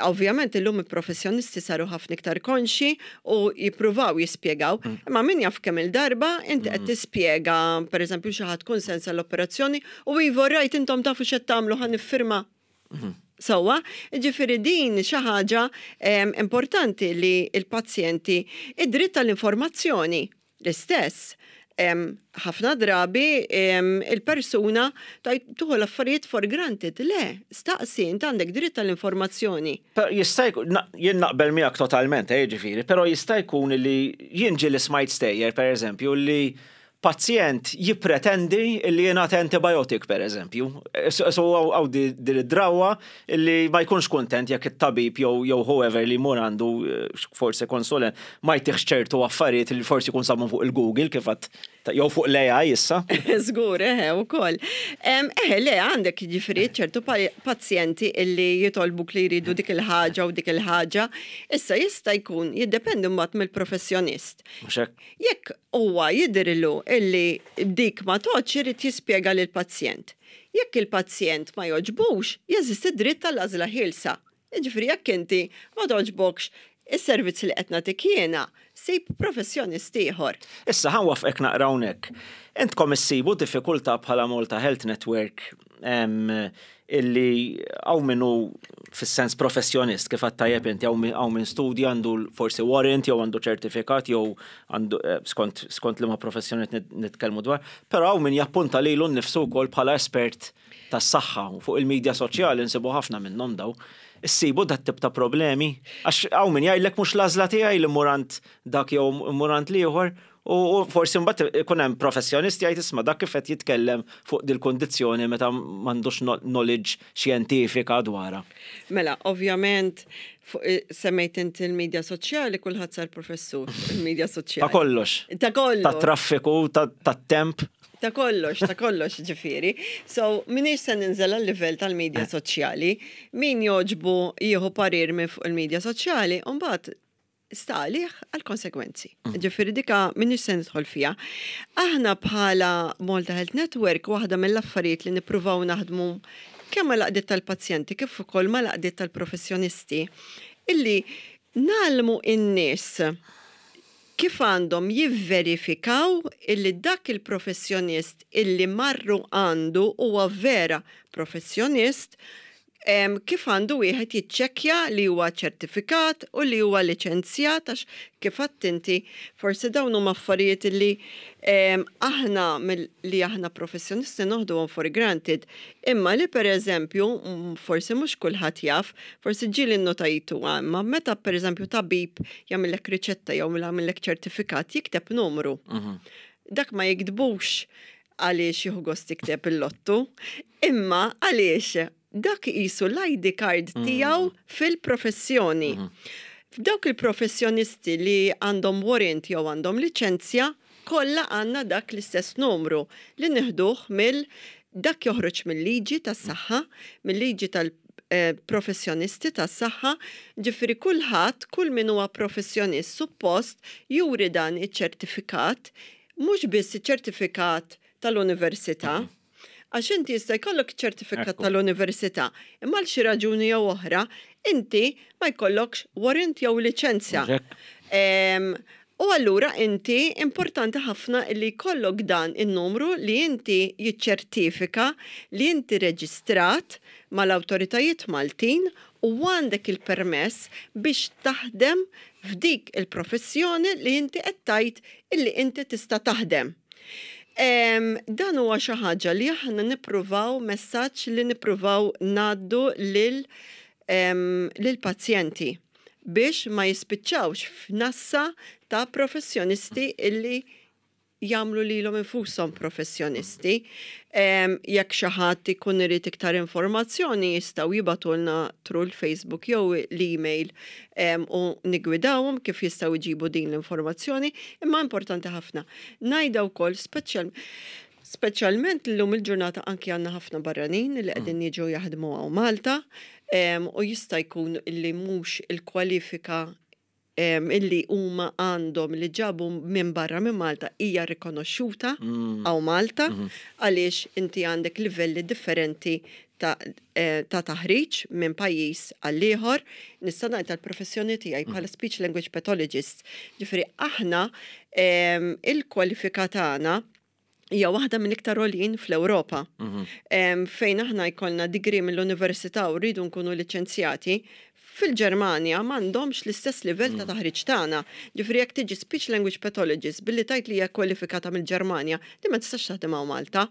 Ovvjament illum il-professjonisti saru ħafna iktar konxi u jippruvaw jispjegaw, imma min jaf kemm il-darba inti qed tispjega, pereżempju, xi ħadd kunsens għall-operazzjoni u iva, rajt, intom tafu x'qed tagħmlu, ħa niffirma. Sewwa, ġifieri din xi ħaġa em, importanti li il-pazjenti, id-dritt tal-informazzjoni l-istess. Em, ħafna drabi em, il-persuna tajt tieħu l-affarijiet for granted. Le, staqsi, inti għandek dritt tal-informazzjoni. Però jista' jkun, na- jien naqbel miegħek totalment, eh, ġifieri, però jista' jkun li jien ġieli smajt stejjer, per eżempju, li pazjent jippretendi li jingħata antibiotic, per eżempju. So so hawn di din id-drawa li ma jkunx kontent jekk it-tabib jew jew whoever li jmur għandu, eh, forsi konsulent, ma jtihx ċertu affarijiet li forsi jkun sabhom fuq il-Google kif għad jew fuq l-A I issa. Żgur, eħe, u koll. Eħe, le, għandek ġifieri ċertu pa- pazjenti illi jitolbuk li jridu dik il-ħaġa u dik il-ħaġa. Issa jista' jkun jiddependi mbagħad mill-professjonist. Mhux hekk? Jekk huwa jidhirlu illi dik ma toċ, irid jispjega lil pazjent. Jekk il-pazjent ma joġbux, jeżisti dritt tal-għażla ħielsa. Jiġifieri jekk inti ma toġbokx is-servizz li qed nagħtik jiena, sib professjonist ieħor. Issa ħa nwaqqfek naqra hawnhekk. Intkom issibu diffikultà bħala Malta Health Network em, illi hawn min hu fis-sens professjonist, kif għedt tajjeb inti, hawn min- hawn min studja, għandu forsi warrant jew għandu ċertifikat jew għandu eh, skont skont liema professjoni nit- nitkellmu dwar, però hawn min jappunta lilu nnifsu wkoll bħala espert tas-saħħa u fuq il-medja soċjali nsibu ħafna minnhom daw. Issibu dat tip ta' problemi? Għax hawn min jgħidlek mhux l-għażla tiegħi li mmur għand dak jew mmur għand l-ieħor u u forsi mbagħad ikun hemm professjonist jgħid, "Isma', dak kif qed jitkellem fuq dil-kundizzjoni meta m'għandux no- knowledge xjentifika dwarha?" Mela, ovvjament, fuq- eh, semmejt inti il-medja soċjali, kulħadd sar professur il-medja soċjali. Ta' kollox. Ta' kollox. Ta' traffiku, ta' ta' temp. Ta' kollox, ta' kollox ġifieri. So, m'iniex se ninżel għal-livell tal-medja soċjali. Min joġbu jieħu parir minn fuq il-medja soċjali, mbagħad sta għalih għal-konsekwenzi. Ġifieri dika m'iniex se nidħol fiha. Aħna bħala Malta Health Network, waħda mill-affarijiet li nippruvaw naħdmu kemm mal-għaqdiet tal-pazjenti kif ukoll mal-għaqdiet tal-professjonisti illi ngħallmu in-nies kif għandhom jivverifikaw illi dak il-professjonist illi marru għandu huwa vera professjonist, em, kif għandu wieħed jiċċekkja li huwa ċertifikat u li huwa liċenzjat, għax kif għedt inti, forsi dawn huma affarijiet li em, aħna mill- li aħna professjonisti noħduhom for granted, imma li per eżempju mm, forsi mhux kulħadd jaf, forsi ġieli nnotajtu, imma meta per eżempju tabib jagħmellek riċetta jew jagħmellek ċertifikat, jikteb numru. Dak ma jiktbux għaliex jieħu gost jikteb il-lottu, imma għaliex dak qisu l-I D card tiegħu fil-professjoni. F'dawk il-professjonisti li għandhom warrant jew għandhom liċenzja, kollha għandna dak l-istess numru li nieħduh mill dak joħroġ mill-liġi tas-saħħa, mill-liġi tal-professjonisti tas-saħħa, ġifieri kulħadd, kull min huwa professjonist suppost juri dan iċ-ċertifikat, mhux biss iċ-ċertifikat. tal-università. Għax inti jista' jkollok ċertifikat Ekku. tal-università, imma għal xi raġuni jew oħra, inti ma jkollokx warrant jew liċenzja. Mhux hekk? Em, U allura inti importanti ħafna li jkollok dan in-numru li inti jiċċertifika li inti reġistrat mal-awtoritajiet Maltin u għandek il-permess biex taħdem f'dik il-professjoni li inti qed tgħid illi inti tista' taħdem. Em, dan huwa xi ħaġa li aħna nippruvaw, messaġġ li nippruvaw ngħaddu lil em, lil pazjenti biex ma jispiċċawx f'nassa ta' professjonisti illi jagħmlu lilhom infushom professjonisti. Em, Jekk xi ħadd ikun irid iktar informazzjoni, jistgħu jibagħtulna through l-Facebook jew l-email em, u nigwidawhom kif jistgħu jġibu din l-informazzjoni, imma importanti ħafna. Ngħidha wkoll speċjal Speċjalment l-lum il-ġurnata anki għandna ħafna barranin li qegħdin jiġu jaħdmu hawn Malta em, u jista' jkun li mhux il-kwalifika em, illi huma għandhom li ġabu minn barra minn Malta hija rikonoxxuta hawn Malta, għaliex inti għandek livelli differenti ta', eh, ta' taħriġ minn pajjiż għal ieħor. Nista' ngħid tal-professjoni tiegħi bħala speech language pathologist. Ġifieri aħna em, il-kwalifika tagħna hija waħda mill-iktar għoljin fl-Ewropa. Em, Fejn aħna jkollna degree mill-università u rridu nkunu liċenzjati, fil-Ġermanja m'għandhomx l-istess livell ta' taħriġ tagħna. Ġifieri jekk tiġi speech language pathologist billi tgħid li hija kwalifikata mill-Ġermanja, di ma tistax taħdem hawn Malta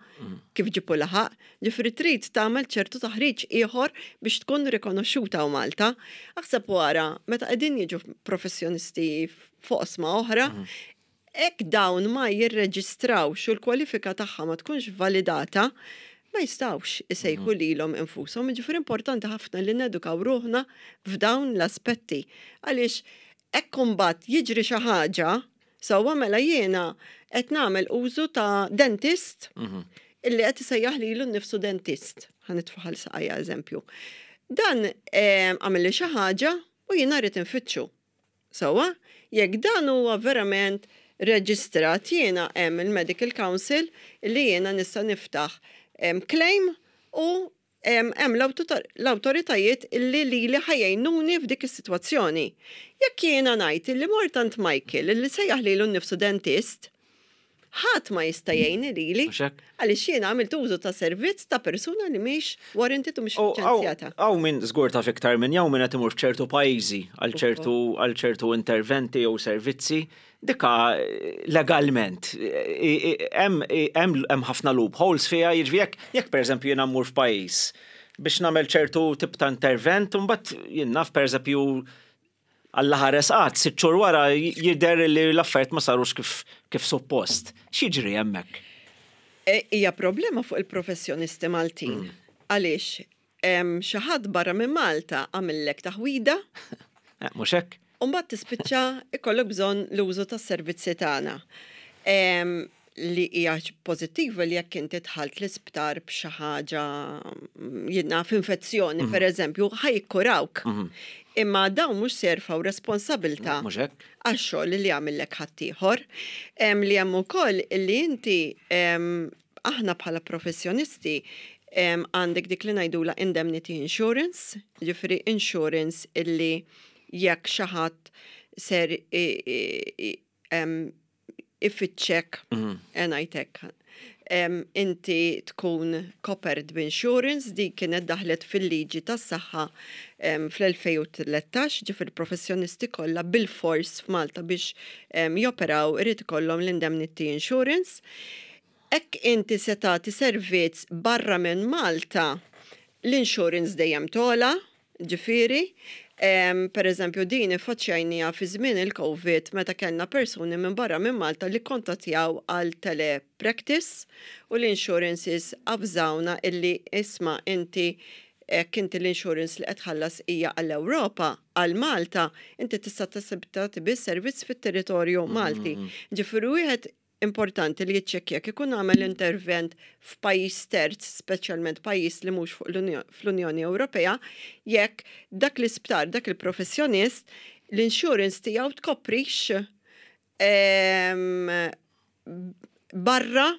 kif ġipu laħaq. Ġifieri trid tagħmel ċertu taħriġ ieħor biex tkun rikonoxxuta hawn Malta. Aħseb wara, meta qegħdin jiġu professjonisti f'oqsma oħra, jekk dawn ma jirreġistrawx u l-kwalifika tagħha ma tkunx validata, ma jistgħux isejħu lilhom infushom. Ġifieri importanti ħafna li nedukaw ruħna f'dawn l-aspetti. Għaliex hekk imbagħad jiġri xi ħaġa, sewwa, mela jiena qed nagħmel użu ta' dentist illi qed isejjaħ lilu nnifsu dentist. Ħa nitfa' saqajja eżempju. Dan eh, għamel li xi ħaġa u jiena rrid infittxu. Sewwa, jekk dan huwa verament reġistrat, jiena hemm il-Medical Council li jiena nista' niftaħ em, claim u em, hemm l-auto- l-awtoritajiet illi li li ħa jgħinuni f'dik is-sitwazzjoni. Jekk jiena ngħid illi mort għand Michael illi sejjaħ lilu nnifsu dentist, ħadd ma jista' jgħinni lili Mhux hekk? għaliex jiena għamilt użu ta' servizz ta' persuna li mhix warranted u mhix U liċenzjata. Hawn min żgur taf iktar minn jew min qed imur f'ċertu pajjiżi għal ċertu għal ċertu interventi jew servizzi, dika eh, legalment eh, eh, hemm hemm hemm ħafna loopholes fiha, jiġifieri jekk jekk pereżempju jiena mmur f'pajjiż biex nagħmel ċertu tip ta' intervent, u mbagħad jien naf, pereżempju, Alla ħares qatt, sitt xhur wara jidher li l-affarijiet ma sarux kif kif suppost. X'jiġri hemmhekk? E, Hija problema fuq il-professjonisti Maltin. Għaliex em, xi ħadd barra minn Malta għamillek taħwida, Eh, Mhux hekk? u mbagħad tispiċċa ikollok bżonn l-użu tas-servizzi tagħna. Em, Li hija pożittiva li jekk inti dħalt l-isptar b'xi ħaġa mm, jiena f'infezzjoni, per eżempju, ħa jikkurawk. Imma dawn mhux se jerfgħu responsabilità Mhux hekk? għax-xogħol li għamillek ħaddieħor. Em, Li hemm ukoll li inti em, aħna bħala professjonisti em, għandek dik li ngħidula indemnity insurance, ġifieri insurance illi jekk xi ħadd ser i- i- i- em, ifittxek, ngħidlek, em, inti tkun covered b'insurance. Di kienet daħlet fil-liġi tas-saħħa em, fl-elfejn u tlettax, ġifieri professjonisti kollha bil-fors f'Malta biex em, joperaw irid ikollhom l-indemnity insurance. Jekk inti se tagħti servizz barra minn Malta, l-insurance dejjem togħla, ġifieri, em, per eżempju din iffaċċjajnieha fi żmien il-Covid meta kellna persuni minn barra minn Malta li kontattjaw għal telepractice u l-insurances avżawna illi isma', inti jekk inti l-insurance li qed tħallas hija għall-Ewropa, għal Malta, inti tista' tagħti biss servizz fit-territorju Malti. Ġifieri wieħed importanti li jiċċekkja jekk ikun għamel intervent f'pajjiż terz, speċjalment pajjiż li mhux fuq l-Unjo- fl-Unjoni Ewropea, jekk dak l-isptar, dak il-professjonist, l-insurance tiegħu tkoprix em, barra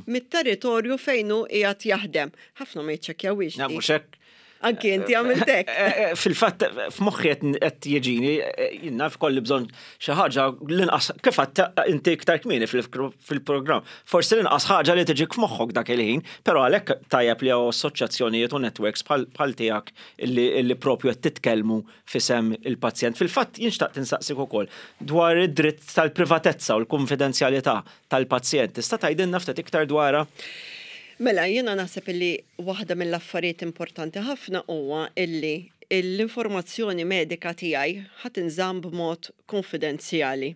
mit-territorju fejn hu qiegħed jaħdem. Ħafna ma jiċċekkjawhiex. Na, dik. mhux hekk. Anki inti għamilt hekk. Eh, eh, Fil-fatt, f'moħħi qed qed jiġini, eh, jien naf kolli bżonn xi ħaġa l-inqas kif għedt inti iktar kmieni fil- fil-programm. Forsi l-inqas ħaġa li tiġik f'moħħok dak il-ħin, però għalhekk tajjeb li hawn assoċjazzjonijiet u networks bħal bħal tiegħek illi illi propju qed titkellmu f'isem il-pazjent. Fil-fatt jien xtaqt insaqsik ukoll dwar id-dritt tal-privatezza u l-konfidenzjalità tal-pazjent. Tista' tgħidilna ftit iktar dwarha? Mela, jiena naħseb illi waħda mill-affarijiet importanti ħafna huwa illi l-informazzjoni medika tiegħi ħa tinżamm b'mod konfidenzjali.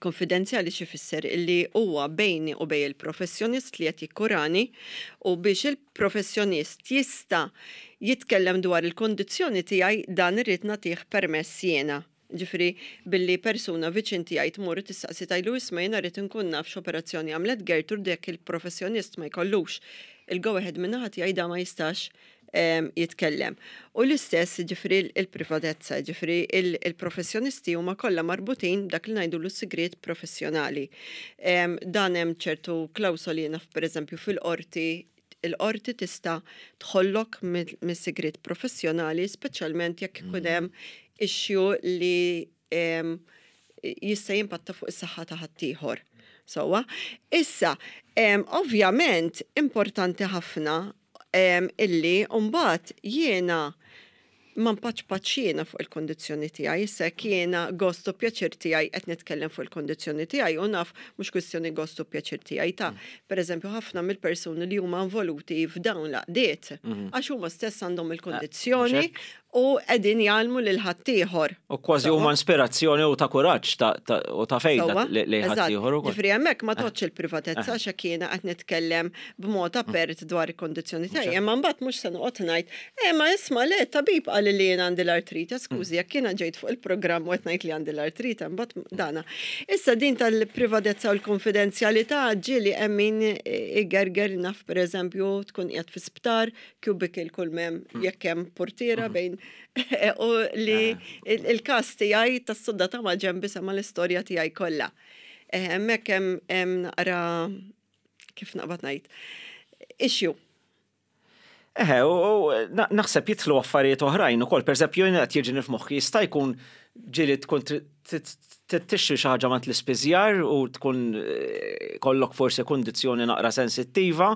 Konfidenzjali xi fisser illi huwa bejni u bejn il-professjonist li qed jikkurani u biex il-professjonist jista' jitkellem dwar il-kondizzjoni tiegħi, dan irrid nagħtih permess jiena. Ġifieri billi persuna viċin tiegħi tmur tistaqsi, tgħidlu, "Isma', jiena rrid inkun naf x'operazzjoni għamlet Gertrude", jekk il-professjonist ma jkollux il-go ahead min-naħa tiegħi, da ma jistax em, jitkellem. U l-istess ġifieri il-privatezza, ġifieri il-professjonisti huma kollha marbutin dak li ngħidu l-sigriet professjonali. Em, Dan hemm ċertu klawsoli, naf pereżempju fil-qorti, il-qorti tista' tħollok mis-sigriet professjonali, speċjalment jekk ikun hemm issue li em, jista' jimpatta fuq is-saħħa ta' ħaddieħor. Sewwa, issa, em, ovvjament importanti ħafna em, illi mbagħad jiena ma npaċpaċ jiena fuq il-kondizzjoni tiegħi, issa jekk jiena gost u pjaċir tiegħi qed nitkellem fuq il-kondizzjoni tiegħi, u naf mhux kwistjoni gost u pjaċir tiegħi ta', pereżempju, ħafna mill-persuni li huma involuti f'dawn l-għaqdiet għax huma stess għandhom il-kondizzjoni hekk. u qegħdin jgħallmu lil ħaddieħor. U kważi huma ispirazzjoni u ta' kuraġġ ta' ta' u ta' fejda Sewwa? li li Eżatt. ħaddieħor ukoll. Ġifieri hemmhekk ma tgħoddx il-privatezza għax hekk jiena qed nitkellem b'mod apert dwar il-kondizzjoni tiegħi, imma mbagħad mhux se noqgħod ngħid, "Eh, ma isma' le, tabib qal li jiena għandi l-artrite, skużi, jekk jiena ġejt fuq il-programm u qed ngħid li għandi l-artrite, mbagħad dana." Issa din tal-privatezza u l-konfidenzjalità ġieli hemm min igerger. Naf pereżempju tkun qiegħed fi sptar, cubicle kull mem jekk hemm portiera bejn u li il- il-każ tiegħi tas-sodda ta' ma' ġenbi sema l-istorja tiegħi kollha. Eh, Hemmhekk hemm hemm naqra, kif naqbad ngħid, issue. Eħe, u u na- naħseb jidħlu affarijiet oħrajn ukoll, pereżempju jien qed jiġini f'moħħi jista' jkun ġieli tkun trid tixtri xi ħaġa mingħand l-ispiżjar u tkun eh, kollok forsi kundizzjoni naqra sensittiva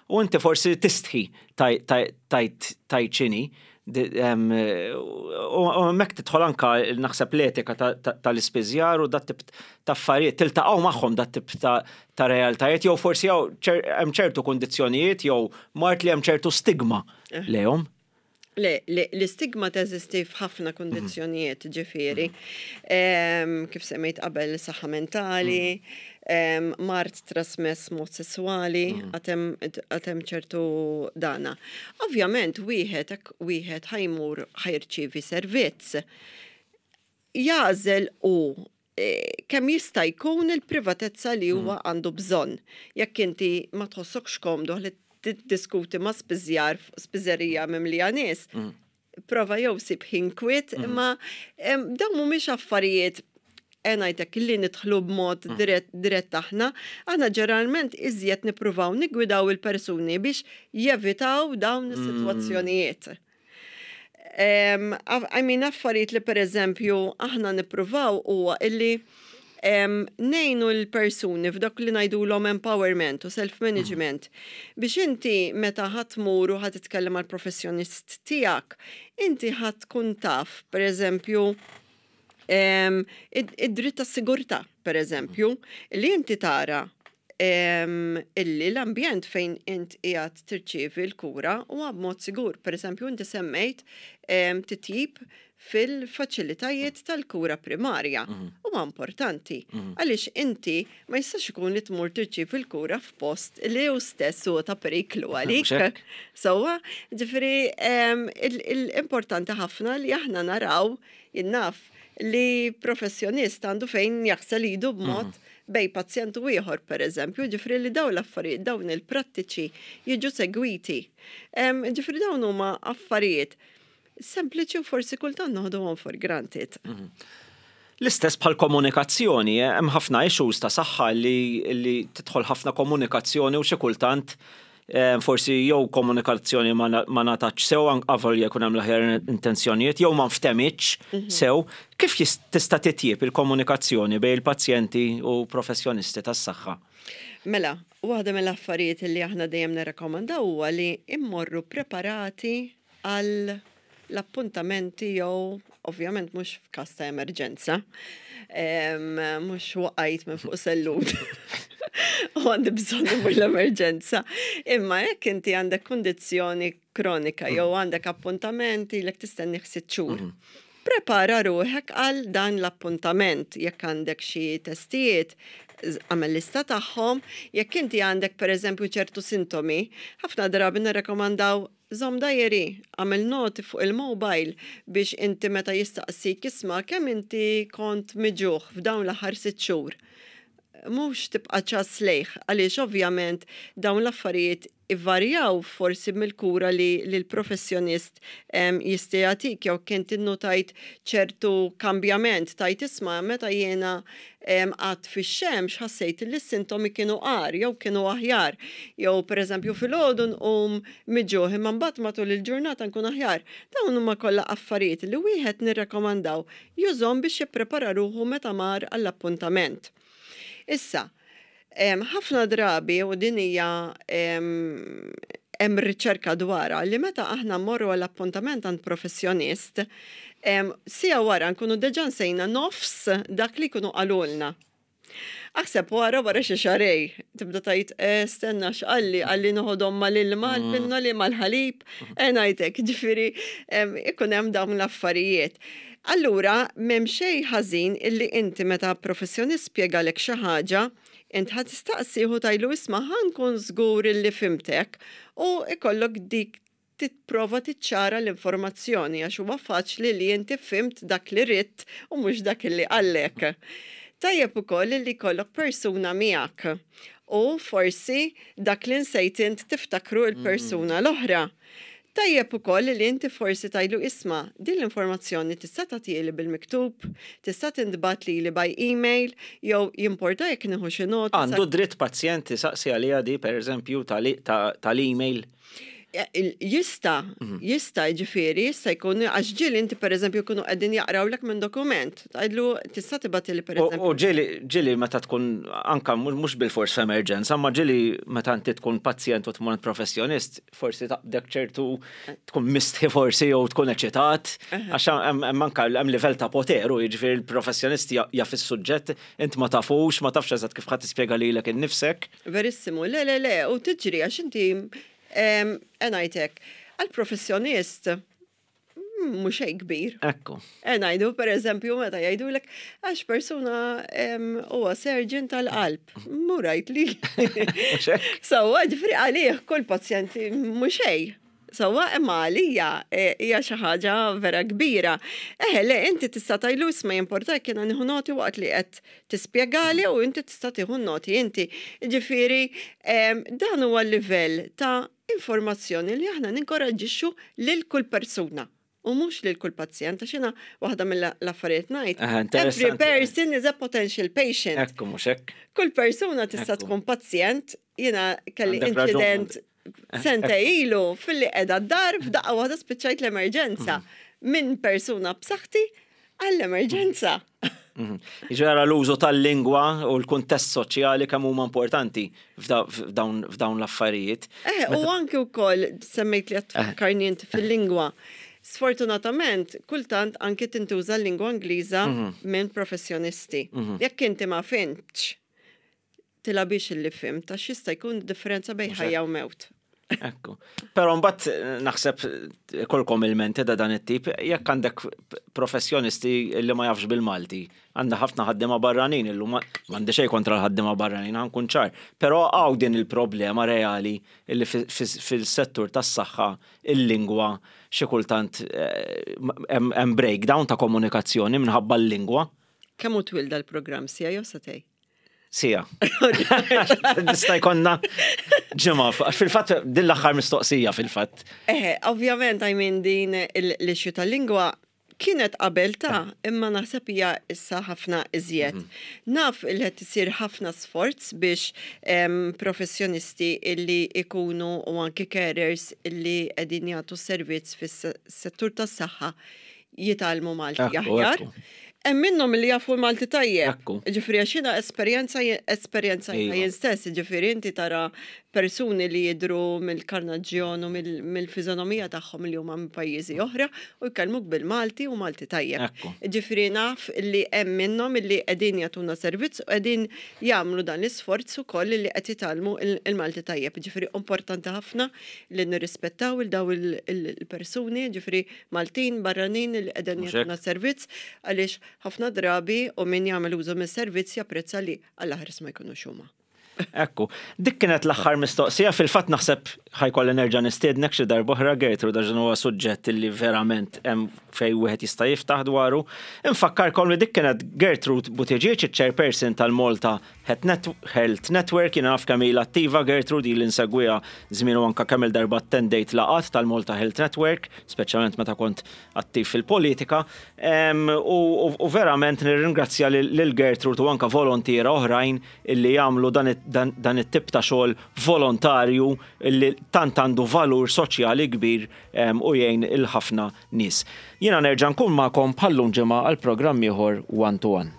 u inti forsi tistħi tgħid tgħid x'inhi. Di- em, U u hemmhekk tidħol anka naħseb l-etika ta- ta- tal-ispiżjar u dat tip ta' affarijiet, tiltaqgħu magħhom dat tip ta' ta' realtajiet, jew forsi jew ċer- hemm ċertu kundizzjonijiet jew mard li hemm ċertu stigma lejhom. Le, le, l-istigma teżisti f'ħafna kondizzjonijiet, ġifieri. Em, Kif semmejt qabel, saħħa mentali, em, mard trasmess mod sessuali, għad hemm ċertu dana. Ovvjament, wieħed hekk wieħed ħa jmur ħa jirċievi servizz, jagħżel u eh, kemm jista' jkun il-privatezza li huwa għandu bżonn. Jekk inti ma tħossokx komdu li tiddiskuti ma' spiżjar spiżerija mimlija nies, prova jew sib ħin kwiet, imma em, dawn mhumiex affarijiet ngħidlek li nidħlu b'mod dirett dirett aħna, aħna ġeneralment iżjed nippruvaw niggwidaw il-persuni biex jevitaw dawn is-sitwazzjonijiet. Um, I mean, affarijiet li per eżempju aħna nippruvaw huwa illi um, ngħinu l-persuni f'dak li ngħidulhom empowerment u self-management biex inti meta ħa tmur u ħa titkellem mal professjonist tiegħek, inti ħa tkun taf, per eżempju, um, id-dritt tas sigurtà, per eżempju, li inti tara em, illi l-ambjent fejn int qiegħed tirċievi l-kura huwa b'mod sigur. Per eżempju, inti semmejt em, titjib fil-faċilitajiet tal-kura primarja. Huwa importanti. Għaliex inti ma jistax ikun li tmur tirċievi l-kura f'post li hu stess huwa ta' periklu għalik. hekk. Sewwa, ġifieri em, il- il-importanti ħafna li aħna naraw, jien naf, li professjonist għandu fejn jaħsel idu b'mod bejn pazjent u ieħor, per eżempju, ġifieri li dawn l-affarijiet, dawn il-prattiċi jiġu segwiti. Em, Ġifieri dawn huma affarijiet sempliċi u forsi kultant noħduhom for granted. L-istess bħal komunikazzjoni, eh, hemm ħafna issues ta' saħħa li, li tidħol ħafna komunikazzjoni u xi kultant eh, forsi jew komunikazzjoni ma ma ngħatatx sew, avolja jkun hemm l-aħjar intenzjonijiet, jew ma nftemitx mhm. sew. Kif tista' titjieb il-komunikazzjoni bejn il-pazjenti u professjonisti tas-saħħa? Mela, waħda mill-affarijiet li aħna dejjem nirrakkomandaw huwa li immorru preparati għal l-appuntamenti jew ovvjament mhux f'każ ta' emerġenza, mhux waqajt minn fuq sellum u għandi bżonn immur l-emerġenza. Imma jekk inti għandek kundizzjoni kronika jew għandek appuntamenti li tistenni sitt xhur. Mhm. Prepara ruħek għal dan l-appuntament. Jekk għandek xi testijiet, għamel lista tagħhom. Jekk inti għandek, pereżempju, ċertu sintomi, ħafna drabi nirrekomandaw żomm diary, għamel noti fuq il-mobile biex inti meta jistaqsik, "Isma', kemm inti kont muġugħ f'dawn l-aħħar sitt xhur?" Mhux tibqa' ċass lejh, għaliex ovvjament dawn l-affarijiet ivarjaw forsi mill-kura li l-professjonist jista' jagħtik, jew kien tinnotajt ċertu kambjament, tgħid, "Isma', meta jiena qgħadt fix-xemx ħassejt li s-sintomi kienu agħar jew kienu aħjar, jew pereżempju filgħodu nqum muġugħ imma mbagħad matul il-ġurnata nkun aħjar." Dawn huma kollha affarijiet li wieħed nirrakkomandaw jużhom biex jipprepara ruħu meta mar għall-appuntament. Issa, ħafna drabi, u din hija hemm riċerka dwarha, li meta aħna mmorru għall-appuntament għand professjonist, siegħa wara nkunu deġa nsejna nofs dak li jkunu qalulna. Aħseb wara wara xi xahrejn, tibda tgħid, eh, "Stenna, x'qalli? Qalli noħodhom mal-ilma, mm. l-pinnoli mal-ħalib," e ngħidlek, ġifieri ikun hemm dawn l-affarijiet. Allura, m'hemm xejn ħażin illi inti meta professjonist spjegalek xi ħaġa, int ħa tistaqsih u tgħidlu, "Isma', ħa nkun żgur illi fhimtek," u ikollok dik tipprova tiċċara l-informazzjoni, għax huwa faċli li inti fhimt dak li ridt u mhux dak li qallek. Tajjeb ukoll li jkollok persuna miegħek u forsi dak li nsejt int tiftakru il-persuna l-oħra. Tajjeb ukoll li inti forsi tgħidlu, "Isma', din l-informazzjoni tista' tagħtieli bil-miktub, tista' tintbagħat lili by email, jew jimporta jekk nieħu xi nota?" Għandu dritt pazjent isaqsi għaliha di, per eżempju, tal-email? Jista', mhm. jista', ġifieri, jista' jkun, għax ġieli inti per eżempju jkunu qegħdin jaqrawlek minn dokument. Tgħidlu, "Tista' tibgħatli per eżempju." U ġieli, ġieli meta tkun anka mhux bil-fors f'emerġenza, ma ġieli meta inti tkun pazjent u tmur professjonist, forsi taqbdek ċertu tkun mistħi forsi jew tkun eċitat, għax hemm anka hemm livell ta' poter u jiġifieri l-professjonist jaf is-suġġett, int ma tafux, ma tafx eżatt kif ħadd tispjega lilek innifsek. Verissimu, le, le, le, u tiġri għax inti ngħidlek, għal-professjonist mhux xejn kbir. Ekku. Ngħidu per eżempju meta jgħidulek għax persuna huwa surgeon tal-qalb. Murajt li. Sewwa, ġifieri għalih kull pazjenti mhux xejn. Sewwa, imma għalija e, hija xi ħaġa vera kbira. Eħe, le, inti tista' tgħidlu, "Isma', jimporta kien nieħu noti waqt li qed tispjegali?" U inti tista' tieħu noti inti. Ġifieri dan huwa l-livell ta' informazzjoni li aħna ninkoraġġixxu lil kull persuna u mhux lil kull pazjent, għax jiena waħda mill-affarijiet ngħid, every person is a potential patient. Ekku, mhux hekk. Kull persuna tista' tkun pazjent. Jiena kelli incident sentejn ilu filli qiegħda d-dar, f'daqqa waħda spiċċajt l-emerġenza. Mhm. Minn persuna b'saħħti għall-emerġenza. Mhm. Ġara l-użu tal-lingwa u l-kuntest soċjali kemm huma importanti f'dawn l-affarijiet. Eh, u anki wkoll semmejt li tfakkarni inti fil-lingwa. Sfortunatament, kultant anki tintuża l-lingwa Ingliża mhm. minn professjonisti. Jekk inti ma fhimtx, tilgħabhiex illi fhimt, għax jista' jkun differenza bejn ħajja u mewt. Ekku. Pero mbagħad naħseb kollkom il-menti da dan it-tip, jekk għandek professjonisti li ma jafx bil-Malti, għandna ħafna ħaddiema barranin illum, m'għandi xejn kontra l-ħaddiema barranin, ħa nkun ċar. Però hawn din il-problema reali li fil-settur tas-saħħa il-lingwa xi kultant eh, hemm breakdown ta' komunikazzjoni minħabba l-lingwa. Kemm hu twil dal-programm, siegħa jew sagħtejn? Siegħa. Nista' jkollna ġimgħa. Fil-fatt din l-aħħar mistoqsija fil-fatt. Eh, ovvjament, I mean, din l-issue tal-lingwa Kienet qabel ta' imma naħseb hija issa ħafna iżjed. Mhm. Naf li qed isir ħafna sforz biex em, professjonisti illi ikunu u anki carers illi qegħdin jagħtu servizz fis-settur tas-saħħa jitgħallmu Malti Ekku, aħjar. ekku. Hemm minnhom li jafu Malti tajjeb. Ekku. Ġifieri għax jiena esperjenza esperjenza Iva. jien stess, ġifieri inti tara persuni li jidru mill-karnaġġjon u mill- mill-fiżonomija tagħhom li huma minn pajjiżi oħra u jkellmuk bil-Malti u Malti tajjeb. Ekku. Ġifieri naf li hemm minnhom li qegħdin jagħtuna servizz u qegħdin jagħmlu dan l-isforz ukoll li qed jitgħallmu il- il-Malti tajjeb. Ġifieri importanti ħafna li nirrispettaw il daw il- il- il-persuni, ġifieri Maltin, barranin li qegħdin Mhux hekk? jagħtuna servizz għaliex ħafna drabi u min jagħmel użu mis-servizz japprezza li għall-aħres ma jkunux huma. Ekku, dik kienet l-aħħar mistoqsija, fil-fatt naħseb ħa jkolli nerġa' nistiednek xi darb'oħra, Gertrude, għax huwa suġġett li verament hemm fejn wieħed jista' jiftaħ dwaru. Infakkarkom li dik kienet Gertrude Buttigieg, il-chairperson tal-Malta Health Network, jiena naf kemm ilha attiva Gertrude, ili nsegwiha żmien u anka kemm il-darba attendejt laqgħat tal-Malta Health Network, speċjalment meta kont attiv fil-politika. Em, U u- u verament nirringrazzja lil lil Gertrude u anka volontiera oħrajn illi jagħmlu dan it- dan dan it-tip ta' xogħol volontarju illi tant għandu valur soċjali kbir em, u jgħin il-ħafna nies. Jiena nerġa' nkun magħkom bħallum ġimgħa għal programm ieħor One to One.